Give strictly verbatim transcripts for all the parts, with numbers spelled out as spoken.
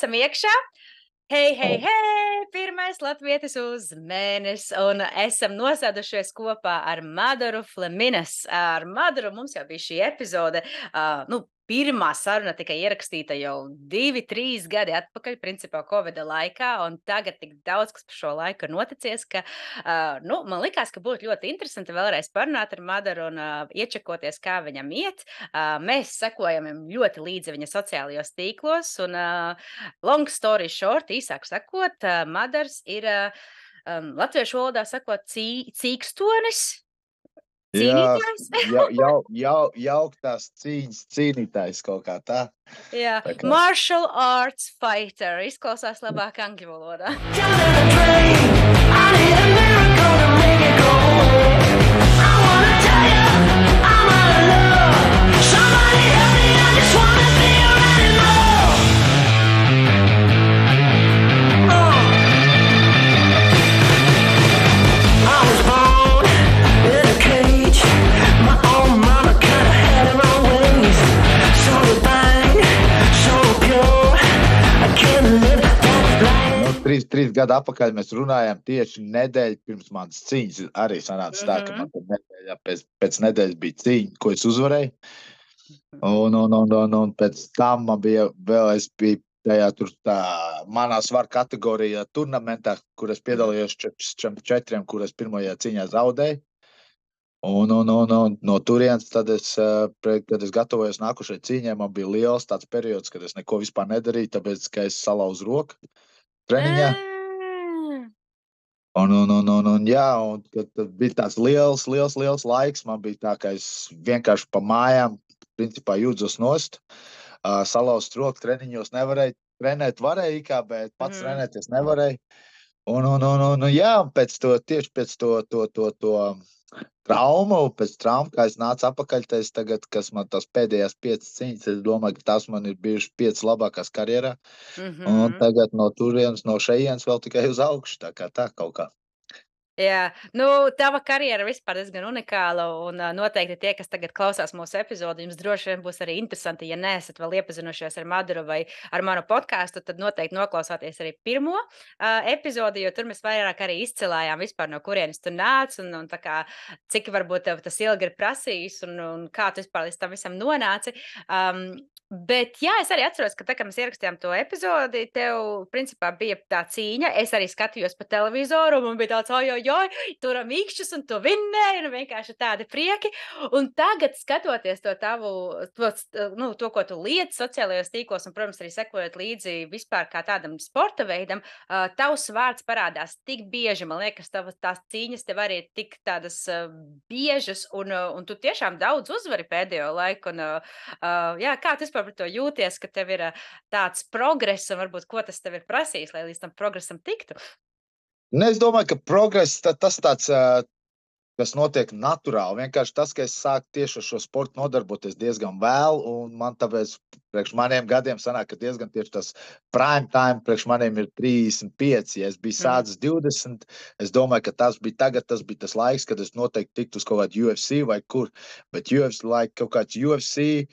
esam iekšā. Hei, hei, hei! Pirmais latvietis uz mēnesi, un esam nosēdušies kopā ar Madaru Fleminas. Ar Madaru mums jau bija šī epizode, uh, nu, pirmā saruna tika ierakstīta jau divi, trīs gadi atpakaļ, principā Covida laikā, un tagad tik daudz, kas par šo laiku ir noticies, ka, uh, nu, man likās, ka būtu ļoti interesanti vēlreiz parunāt ar Madaru un uh, iečekoties, kā viņam iet. Uh, mēs sekojam ļoti līdzi viņa sociālajos tīklos, un uh, long story short, īsāk sakot, uh, Madars ir uh, um, latviešu valodā sakot cī, cīkstonis, Jā, cīnītājs. jau, jau, jau, jauktās cīņas cīnītājs kaut kā tā. Jā, Tā kā- martial arts fighter. Izklausās labāk angļu valodā. Nu, trīs, trīs gadu atpakaļ mēs runājām tieši nedēļu pirms manas cīņas. Arī sanāca tā, ka Mhm. man tad nedēļā pēc, pēc nedēļas bija cīņa, ko es uzvarēju. Un, un, un, un, un pēc tam man bija vēl, es biju tajā tur tā manā svaru kategorijā turnamentā, kur es piedalījos četriem četriem, kur es pirmajā cīņā zaudēju. Un, un, un, un no turienes, tad es, eh, pre- kad es gatavojos nākušai cīņai, man bija liels tāds periods, kad es neko vispār nedarīju, tāpēc, ka es salauzu roku treniņā. Ah. Un, un, un, un, un, jā, un tad, tad bija tāds liels, liels, liels laiks. Man bija tā, ka es vienkārši pa mājām, principā, jūdzos nost. Uh, salauzt roku treniņos nevarēju. Trenēt varēju, ikā, bet pats Mhm. trenēties nevarēju. Un, un, un, un, un jā, un pēc to, tieši pēc to, to, to, to traumu, pēc traumu, kā es nācu apakaļ, tad es tagad, kas man tās pēdējās piecas cīņas, es domāju, ka tās man ir bijušas piecas labākās karjerā. Un Mhm. tagad no turienes, no šejienes vēl tikai uz augšu, tā kā tā kaut kā. Jā, nu, tava karjera vispār diezgan unikāla, un uh, noteikti tie, kas tagad klausās mūsu epizodi, jums droši vien būs arī interesanti, ja neesat vēl iepazinušies ar Madaru vai ar manu podkāstu, tad noteikti noklausāties arī pirmo uh, epizodi, jo tur mēs vairāk arī izcilājām vispār, no kurienes tu nāc, un, un tā kā, cik varbūt tev tas ilgi ir prasījis, un, un kā tu vispār līdz tam visam nonāci. Um, Bet, jā, es arī atceros, ka tā, kad mēs ierakstījām to epizodi, tev, principā, bija tā cīņa. Es arī skatījos pa televizoru, un man bija tāds, oi, oi, oi, turam īkšķus, un tu vinnēji, un vienkārši tādi prieki. Un tagad, skatoties to tavu, to, nu, to ko tu liec sociālajos tīklos, un, protams, arī sekojot līdzi vispār kā tādam sporta veidam, uh, tavs vārds parādās tik bieži. Man liekas, tavas tās cīņas tev arī ir tik tādas uh, biežas, un, uh, un tu tiešām daudz uzvari pēdējo laiku. Un, uh, uh, jā, kā tu vispār par to jūties, ka tev ir uh, tāds progress, un varbūt ko tas tev ir prasījis, lai līdz tam progresam tiktu? Ne, es domāju, ka progress ta- tas tāds, ā, kas notiek naturāli. Vienkārši tas, ka es sāku tieši ar šo sportu nodarboties diezgan vēl, un man tāpēc priekš maniem gadiem sanāk, ka diezgan tieši tas prime time priekš maniem ir trīsdesmit pieci. Ja es biju Mhm. sācis divdesmit, es domāju, ka tas bija tagad, tas bija tas laiks, kad es noteikti tiktu uz kaut kādu U F C vai kur, bet U F C, like kaut kāds U F C,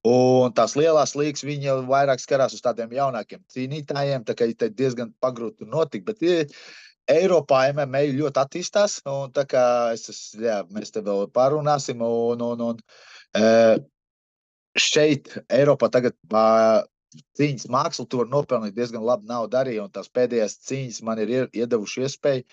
un tās lielās līgas, viņi jau vairāk skarās uz tādiem jaunākiem cīnītājiem, tā kā te diezgan pagrūti tur notikt, bet ir Eiropā M M A ļoti attīstās, un tā kā es, es jā, mēs te vēl parunāsim, un, un, un eh, šeit Eiropā tagad ā, cīņas mākslu tu var nopelnīt diezgan labu naudu arī, un tās pēdējās cīņas man ir ie- iedevuši iespēju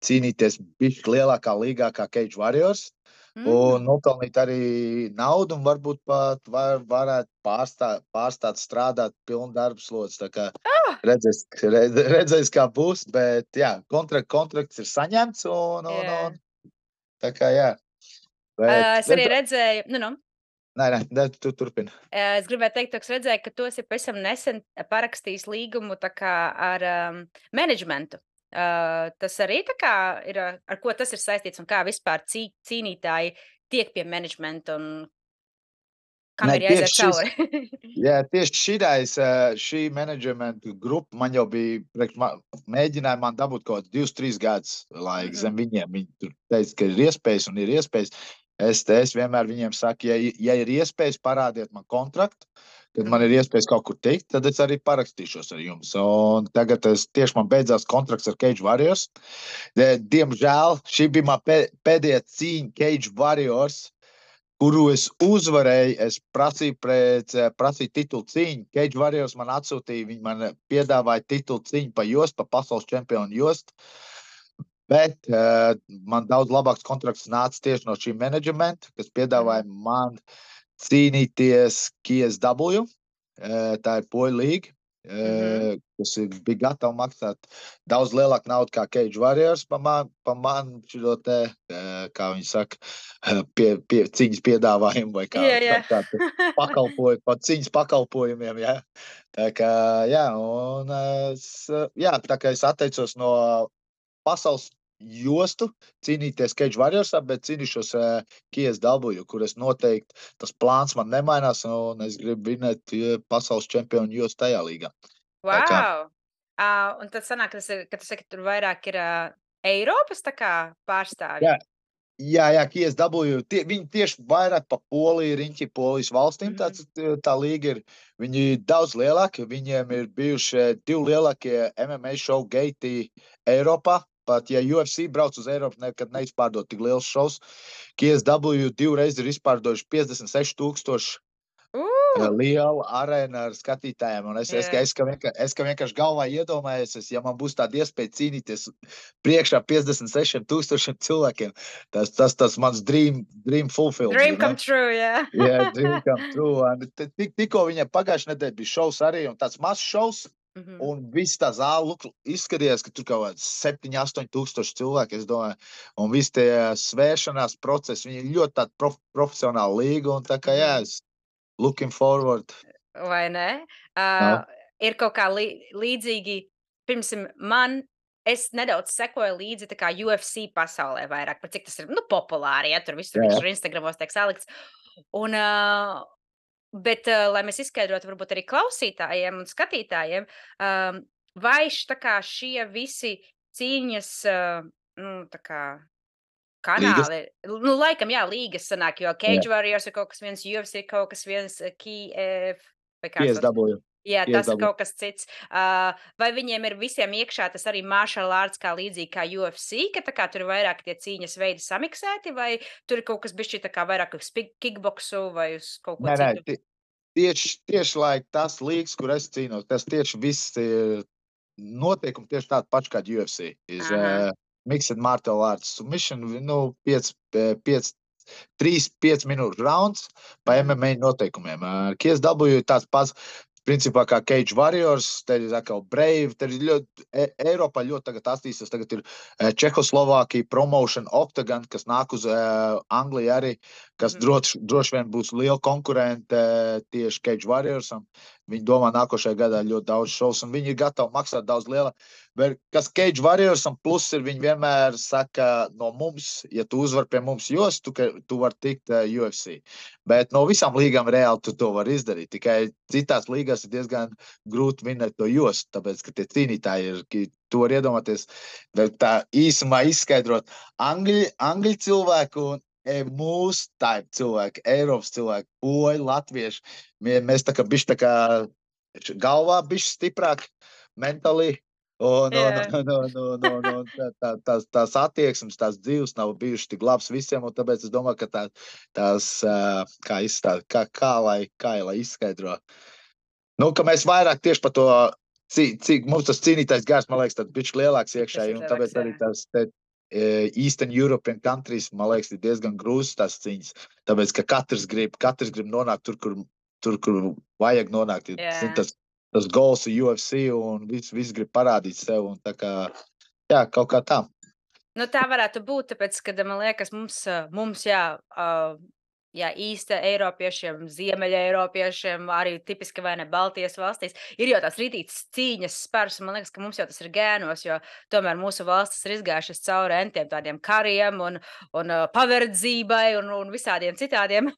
cīnīties bišķi lielākā līgā kā Cage Warriors, un Mm. nopelnīt arī naudu, un varbūt pat var, varētu pārstāt, pārstāt strādāt pilnu darbu slodzi. Tā kā Ah! redzēs, redz, redzēs, kā būs, bet jā, kontrakt, kontrakts ir saņemts, un, un, Jā. un tā kā jā. Bet, Uh, es arī bet, redzēju, nu, nu. nē, nē, nē, tu turpini. Uh, Es gribēju teikt, ka es redzēju, ka tu esi pavisam nesen parakstījis līgumu tā kā ar um, menedžmentu. Uh, tas arī tā kā ir, uh, ar ko tas ir saistīts un kā vispār cī, cīnītāji tiek pie menedžmenta un kam Nē, ir jāiziet tieši šis, cauri. jā, tieši šitais, ā, šī menedžmenta grupa man jau bija, priekš ma- mēģināja man dabūt kaut kādus divus, trīs gadus laika Mhm. zem viņiem. Viņi tur teica, ka ir iespējas un ir iespējas. Es, te- es vienmēr viņiem saku, ja, ja ir iespējas, parādiet man kontraktu, kad man ir iespējas kaut kur tikt, tad es arī parakstīšos ar jums. Un tagad es tieši man beidzās kontrakts ar Cage Warriors. Diemžēl šī bija man pēdējā cīņa Cage Warriors, kuru es uzvarēju. Es prasīju pret, prasīju titulu cīņu. Cage Warriors man atsūtīja, viņi man piedāvāja titulu cīņu pa jostu, pa pasaules čempionu jostu. Bet uh, man daudz labāks kontrakts nāca tieši no šī menedžmenta, kas piedāvāja mm. man cīnīties K S W. Uh, tā ir poļu līga, uh, mm-hmm. kas bija gatava maksāt daudz lielāku naudu kā Cage Warriors pa man, pa man šo te, uh, kā viņi saka, pie, pie, cīņas piedāvājumu vai kā, yeah, yeah. kā, kā pakalpojumu, pa cīņas pakalpojumiem, jā. Tā kā, jā, un es, jā, tā kā es atteicos no pasaules jostu cīnīties Cage Warriorsā, bet cīnīšos uh, K S W, kur es noteikti, tas plāns man nemainās, un es gribu vinēt uh, pasaules čempionu jostu tajā līgā. Wow! Uh, un tad sanāk, ka tas ir, ka tu saki, tur vairāk ir uh, Eiropas tā kā pārstāvji? Jā, jā, jā K S W, tie, viņi tieši vairāk pa Poliju, riņķi Polijas valstīm, mm -hmm. tāds, tā līga ir, viņi daudz lielāki, viņiem ir bijuši divi lielākie M M A show geiti Eiropā. Pat, ja U F C brauc uz Eiropu, nekad neizpārdot tik liels šovs. K S W divreiz ir izpārdojuši piecdesmit seši tūkstoši uh! liela arēna ar skatītājiem. Un es, yeah. es, es, ka vienkārši, es ka vienkārši galvā iedomājos, es, ja man būs tāda iespēja cīnīties priekšā piecdesmit sešiem tūkstošiem cilvēkiem, tas, tas, tas mans dream, dream fulfilled. Dream come true, jā. Yeah. Jā, yeah, dream come true. Tik, tikko viņam pagājušajā nedēļā bija šovs arī, un tāds mazs šovs, Mm-hmm. Un viss tā zāle izskatījās, ka tur kaut kāds septiņi, astoņi tūkstoši cilvēki, es domāju, un viss tie svēršanās procesi, viņi ir ļoti tāda prof, profesionāla līga, un tā kā jā, es looking forward. Vai ne? Uh, no. Ir kaut kā lī, līdzīgi, pirms man, es nedaudz sekoju līdzi tā kā U F C pasaulē vairāk, par cik tas ir, nu, populāri, ja tur visur, visur Instagramos tiek salikts. Un, uh, Bet, uh, lai mēs izskaidrotu varbūt arī klausītājiem un skatītājiem, um, vai tā kā šie visi cīņas, uh, nu, tā kā kanāli, līgas? Nu, laikam, jā, līgas sanāk, jo Cage jā. Warriors ir kaut kas viens, U F C ir kaut kas viens, K F, vai K S W. Jā, tas ir kaut kas cits. Uh, vai viņiem ir visiem iekšā tas arī martial arts kā līdzīgi kā U F C, ka tā kā tur ir vairāk tie cīņas veidi samiksēti, vai tur ir kaut kas bišķi tā kā vairāk uz kickboksu vai uz kaut ko nē, citu? Nē, tieši, tieši lai tas līgas, kur es cīnos, tas tieši viss ir noteikumi tieši tādi paši kā U F C. Ir uh, mixed martial arts submission, nu, pieci, trīs, pieci minūšu rauns pa M M A noteikumiem. Uh, K S W ir tāds pats. Principā kā Cage Warriors, te ir atkal Brave, te ir ļoti, e, Eiropā ļoti tagad attīstās, tagad ir e, Čehoslovākija, Promotion, Octagon, kas nāk uz e, Angliju arī, kas mm. droši, droši vien būs liela konkurente e, tieši Cage Warriorsam. Viņi domā nākošajā gadā ļoti daudz šovs, un viņi ir gatavi maksāt daudz liela. Bet kas Cage Warriorsam plus ir, viņi vienmēr saka no mums, ja tu uzvar pie mums jos, tu, tu var tikt uh, U F C. Bet no visām līgām reāli tu to var izdarīt. Tikai citās līgās ir diezgan grūti vinēt to jos, tāpēc, ka tie cīnītāji ir, ka tu var iedomāties, tā īsumā izskaidrot angļu, angļu cilvēku un mūsu type cilvēki, Eiropas cilvēki, poļi, latvieši. Mēs tā kā bišķi tā kā galvā bišķi stiprāk, mentally, un, yeah. un, un, un, un, un tā, tā, tās, tās attieksmes, tās dzīves nav bijušas tik labas visiem, un tāpēc es domāju, ka tā, tās, kā izstād, kā, kā, lai, kā lai izskaidro. Nu, ka mēs vairāk tieši par to, cik, cik mums tas cīnītājs gars, man liekas, tad bišķi lielāks iekšēji, un tāpēc arī tās te, Eastern European countries, man liekas, ir diezgan grūzas tās cīņas, tāpēc, ka katrs grib, katrs grib nonākt tur, kur, tur, kur vajag nonākt. Yeah. Tas, tas goals ir U F C un viss, viss grib parādīt sev, un tā kā, jā, kaut kā tā. Nu, tā varētu būt, tāpēc, kad, man liekas, mums, mums jā, uh, jā, īsta Eiropiešiem, Ziemeļa Eiropiešiem, arī tipiski vai ne Baltijas valstīs, ir jau tās rītītas cīņas spērs, un man liekas, ka mums jau tas ir gēnos, jo tomēr mūsu valstis ir izgājušas cauri entiem tādiem kariem un, un uh, paverdzībai un, un visādiem citādiem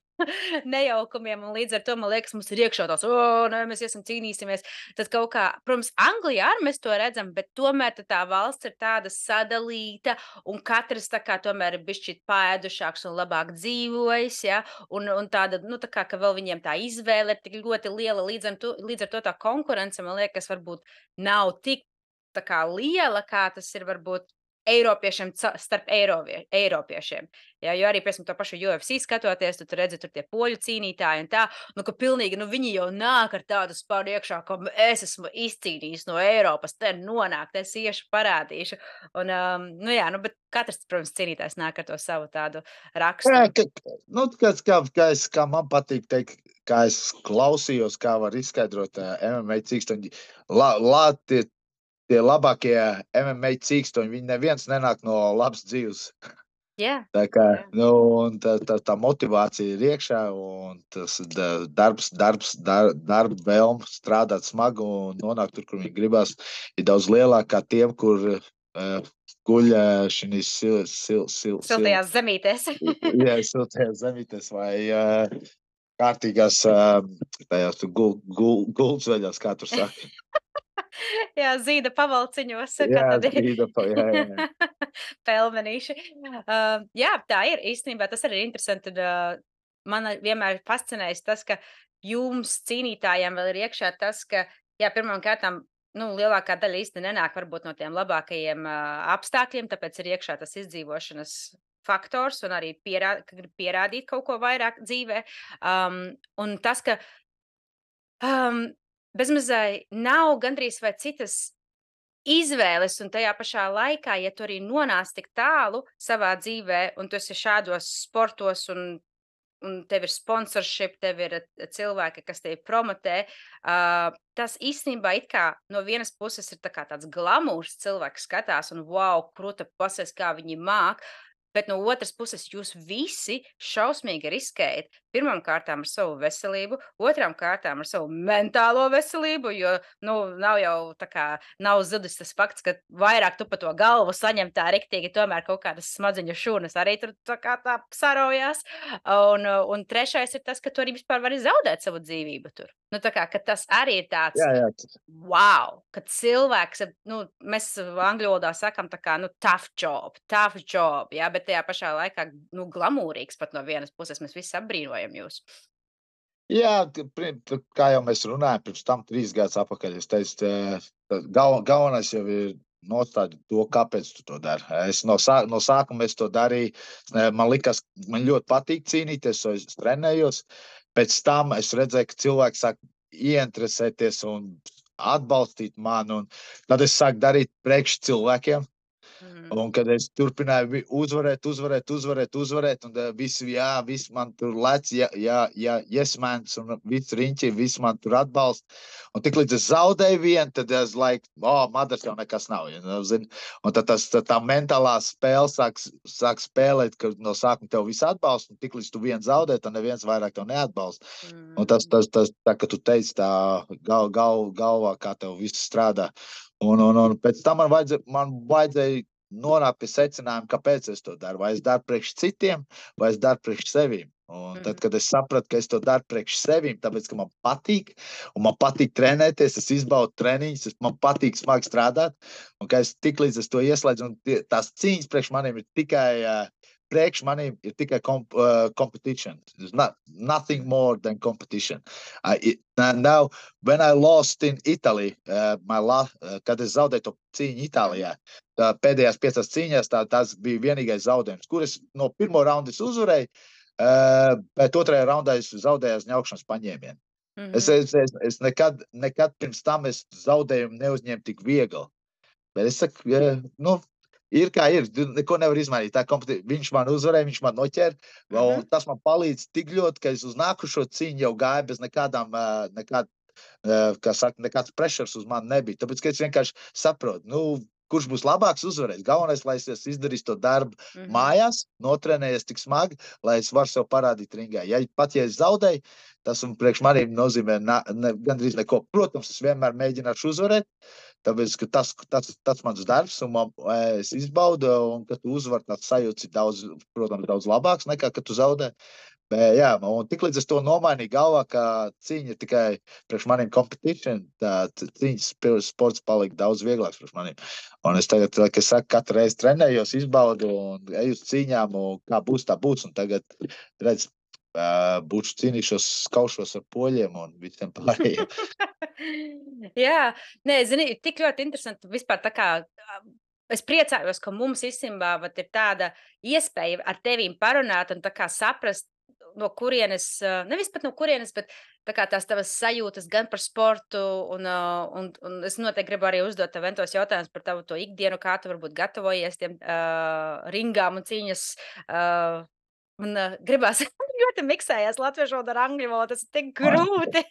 nejaukumiem, un līdz ar to, man liekas, mums ir iekšā tāds, o, nē, mēs iesim cīnīsimies. Tad kaut kā, protams, Anglijā arī mēs to redzam, bet tomēr tad tā valsts ir tāda sadalīta, un katrs tā kā tomēr ir bišķīt paēdušāks un labāk dzīvojis, ja, un, un tāda, nu, tā kā, ka vēl viņiem tā izvēle ir tik ļoti liela, līdz ar to, līdz ar to tā konkurence, man liekas, varbūt nav tik tā kā liela, kā tas ir varbūt Eiropiešiem ca- starp Eirovie, Eiropiešiem. Jā, jo arī, piemēram, to pašu U F C skatoties, tu tur redzi, tur tie poļu cīnītāji un tā, nu, ka pilnīgi, nu, viņi jau nāk ar tādu spāru iekšā, ka es esmu izcīnījis no Eiropas, te nonākt, es iešu parādīšu. Un, um, nu, jā, nu, bet katrs, protams, cīnītājs nāk ar to savu tādu Jā, raksturu. ka, nu, kas, kā, kā, es, kā man patīk teikt, kā es klausījos, kā var izskaidrot uh, M M A cīkstoņi. La, la, tie, tie labākie M M A cīkstoņi, viņi neviens nenāk no labas dzīves. Jā, Tā kā, jā. nu, un tā, tā, tā motivācija ir iekšā, un tas da- darbs, darbs, dar, darba vēlme strādāt smagi un nonākt tur, kur viņi gribas, ir daudz lielāka kā tiem, kur uh, guļ uh, šīs sil, sil, sil, sil, Siltajās zemītēs. jā, siltajās zemītēs vai uh, kārtīgās uh, tajās gul, gul, gultsveļās, kā tur saka. Jā, zīda pavalciņos, kā Jā, tad ir zīda, pa- jā, jā, jā. pelmenīši. Uh, jā, tā ir īstenībā, tas arī ir interesanti. Un, uh, man vienmēr ir fascinējis tas, ka jums cīnītājiem vēl ir iekšā tas, ka, jā, pirmām kārtām, nu, lielākā daļa īsti nenāk varbūt no tiem labākajiem uh, apstākļiem, tāpēc ir iekšā tas izdzīvošanas faktors un arī pierā, ka grib pierādīt kaut ko vairāk dzīvē. Um, un tas, ka um, bezmazai nav gandrīz vai citas izvēles, un tajā pašā laikā, ja tu arī nonāc tik tālu savā dzīvē, un tu esi šādos sportos, un, un tev ir sponsorship, tev ir eh, cilvēki, kas tevi promotē, uh, tas īstenībā it kā no vienas puses ir tā kā tāds glamūrs, cilvēks skatās, un wow, krūta pasies, kā viņi māk. Bet no otras puses, jūs visi šausmīgi riskējat. Pirmām kārtām ar savu veselību, otrām kārtām ar savu mentālo veselību, jo, nu, nav jau tā kā, nav zudis tas fakts, ka vairāk tu pa to galvu saņem tā riktīgi, tomēr kaut kādas smadziņu šūnas arī tur tā kā tā sarojās. Un, uh, un trešais ir tas, ka tu arī vispār vari zaudēt savu dzīvību tur. Nu, tā kā, ka tas arī ir tāds, Jā, jā, wow, kad cilvēks, ir, nu, mēs angļu valodā sakam tā kā, nu, tough job, tough job, jā, bet tajā pašā laikā, nu, glamūrīgs pat no vienas puses, mēs visi apbrīnojam jūs. Jā, ka pri- tu- kā jau mēs runājām, pirms tam trīs gadus atpakaļ, es teicu, tā- tā gal, galvenais jau ir nostādīt to, kāpēc tu to dari. Es no, sā, no sākuma es to darīju. Es ne- Man likās, man ļoti patīk cīnīties, so es trenējos. Pēc tam es redzēju, ka cilvēki sāk ieinteresēties un atbalstīt mani, un tad es sāku darīt priekš cilvēkiem. Mhm. Un kad es turpināju vi- uzvarēt, uzvarēt, uzvarēt, uzvarēt, un uh, visi, jā, visi man tur lec, jā, jā, jā, yes, mans, un visi riņķi, visi man tur atbalsta. Un tik līdz es zaudēju vienu, tad es laiku, o, oh, madars jau nekas nav, ja, nu, zini. Un tad tas, tā, tā mentālā spēle sāk, sāk spēlēt, ka no sākuma tev viss atbalsta, un tik līdz tu viens zaudē, tad neviens vairāk tev neatbalsta. Un tas, Mhm. tas, tas, tā, ka tu teici tā gal, gal, galvā, kā tev viss strādā. Un, un, un pēc tam man vajadzēja, man vajadzēja nonākt pie secinājuma, kāpēc es to daru. Vai es daru priekš citiem, vai es daru priekš sevīm. Un tad, Mhm. kad es sapratu, ka es to daru priekš sevīm, tāpēc, ka man patīk, un man patīk trenēties, es izbaudu treniņus, es- man patīk smagi strādāt, un ka es tik līdz es to ieslēdzu, un tie, tās cīņas priekš maniem ir tikai, uh, priekš maniem ir tikai comp, uh, competition. There's not, nothing more than competition. Uh, it, now, when I lost in Italy, uh, my la, uh, kad es zaudēju to cīņu Itālijā, tā pēdējās piecās cīņās tā, tas bija vienīgais zaudējums, kuras no pirmo raunda es uzvarēju, uh, bet otrajā raundā es zaudēju ņaukšanas paņēmienu. Es, Mhm. es, es, es nekad, nekad pirms tam es zaudējumu neuzņēmu tik viegli. Bet es saku, ja, nu, ir kā ir, tu neko nevar izmainīt. Tā kompeti- viņš man uzvarēja, viņš man noķēra, un Mhm. tas man palīdz tik ļoti, ka es uz nākušo cīņu jau gāju bez nekādām, uh, nekād, uh, kā saka, nekāds pressures uz mani nebija. Tāpēc, ka es vienkārši saprotu, nu, kurš būs labāks uzvarēs. Galvenais, lai es izdarīšu to darbu Mhm. mājās, notrenējies tik smagi, lai es varu sev parādīt ringā. Ja pat ja es zaudēju, tas un priekš maniem nozīmē na, ne, gandrīz neko. Protams, es vienmēr mēģināšu uzvarēt, tāpēc, ka tas, tas, tas mans darbs, un man, eh, es izbaudu, un kad tu uzvari, tāds sajūts ir daudz, protams, daudz labāks nekā, kad tu zaudē. Bet, jā, un tiklīdz es to nomainīju galvā, ka cīņa ir tikai priekš maniem competition, tā c- cīņas spil- sports palika daudz vieglāks priekš maniem. Un es tagad, kā es saku, katru reizi trenējos, izbaudu un eju uz cīņām, un kā būs, tā būs. Un tagad, redz, ā, būšu cīnīšos, skaušos ar poļiem un visiem pārējiem. Jā, nē, zini, tik ļoti interesanti vispār tā kā. ā, Es priecājos, ka mums īstenībā vat ir tāda iespēja ar tevīm parunāt un tā kā saprast, no kurienes, ā, nevis pat no kurienes, bet tā kā tās tavas sajūtas gan par sportu, un, ā, un, un es noteikti gribu arī uzdot tev ventos jautājumus par tavu to ikdienu, kā tu varbūt gatavojies tiem uh, ringām un cīņas. Uh, un uh, gribās ļoti miksējās latviešu valoda ar angļu valodu, tas ir tik grūti.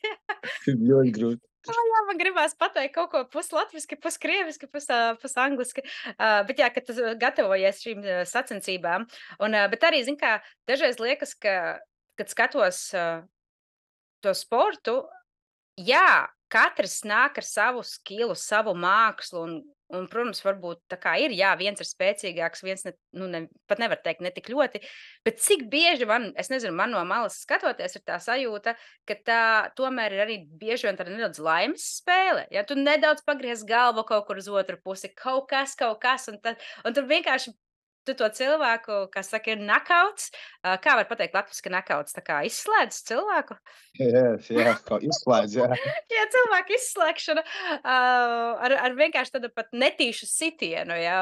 Ļoti grūti. Jā, man gribās pateikt kaut ko puslatviski, puskrieviski, pus, ā, pusangliski. Uh, bet jā, kad tu gatavojies šīm ā, sacensībām. Un, ā, bet arī, zin kā, dažreiz liekas, ka, kad skatos uh, to sportu, jā, katrs nāk ar savu skilu, savu mākslu. Un, un, protams, varbūt tā kā ir, jā, viens ir spēcīgāks, viens ne, nu, ne, pat nevar teikt ne tik ļoti. Bet cik bieži man, es nezinu, man no malas skatoties, ir tā sajūta, ka tā tomēr ir arī bieži vien tāda nedaudz laimes spēle. Ja tu nedaudz pagriez galvu kaut kur uz otru pusi, kaut kas, kaut kas, un, tad, un tur vienkārši tu to cilvēku, kas saka, ir nakauts. Ā, Kā var pateikt latviski nakauts? Tā kā izslēdz cilvēku? Jā, jā, kā izslēdz, jā. Jā, cilvēku izslēgšana uh, ar, ar vienkārši tādu pat netīšu sitienu. Jā.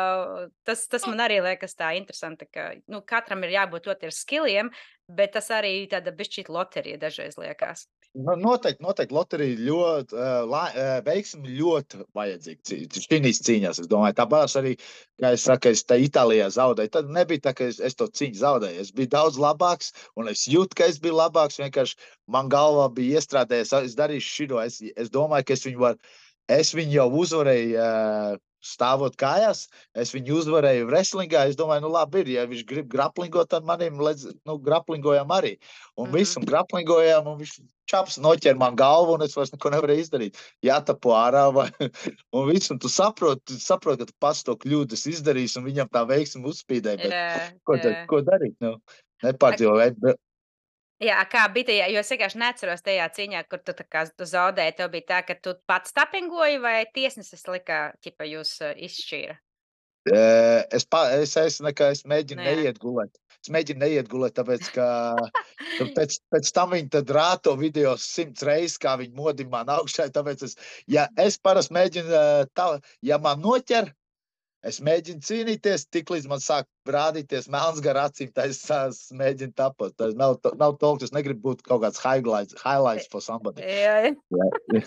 Tas, tas man arī liekas tā interesanti, ka nu, katram ir jābūt ļoti ar skilliem, bet tas arī tāda bišķīt loterija dažreiz liekas. Nu, noteikti, noteikti loterija ļoti, uh, la, uh, veiksmi ļoti vajadzīga šīs cīņās. Es domāju, tāpēc arī, kā es saku, es te Itālijā zaudēju. Tad nebija tā, ka es, es to cīņu zaudēju. Es biju daudz labāks, un es jūtu, ka es biju labāks. Vienkārši man galvā bija iestrādējies, es darīšu šito. Es, es domāju, ka es viņu varu, es viņu jau uzvarēju. Uh, Stāvot kājās, es viņu uzvarēju wrestlingā. Es domāju, nu labi, ir, ja viņš grib graplingot, tad manim ledz, nu, graplingojām arī. Un Mhm. visu graplingojām, un viņš čaps noķer man galvu, un es vairs neko nevarēju izdarīt. Jātapo ārā, vai, un viss, un tu saproti, tu saproti, ka tu pats to kļūdas izdarīsi, un viņam tā veiksmi uzspīdēja, bet Jā, ko, tad, jā. ko darīt? Nu, nepārdzīvot. Bet, Jā, kā bija tajā, jo es vienkārši neatceros tajā cīņā, kur tu, tā kā, tu zaudēji. Tev bija tā, ka tu pats tapingoji vai tiesnesis lika, ķipa, jūs uh, izšķīra? eh, es, pa, es, es, nekā, es mēģinu Nu, jā. neiet gulēt. Es mēģinu neiet gulēt, tāpēc, ka nu, pēc, pēc tam viņi tad rāto video simts reizes, kā viņi modina man augšā. Tāpēc es, ja es parasti mēģinu, eh, tā, ja man noķer, es mēģinu cīnīties, tiklīdz man sāk rādīties melns gar acīm, tad es, es mēģinu tapot. Tas nav, nav talk, es negribu būt kaut kāds highlights, highlights for somebody. Jā, Jā,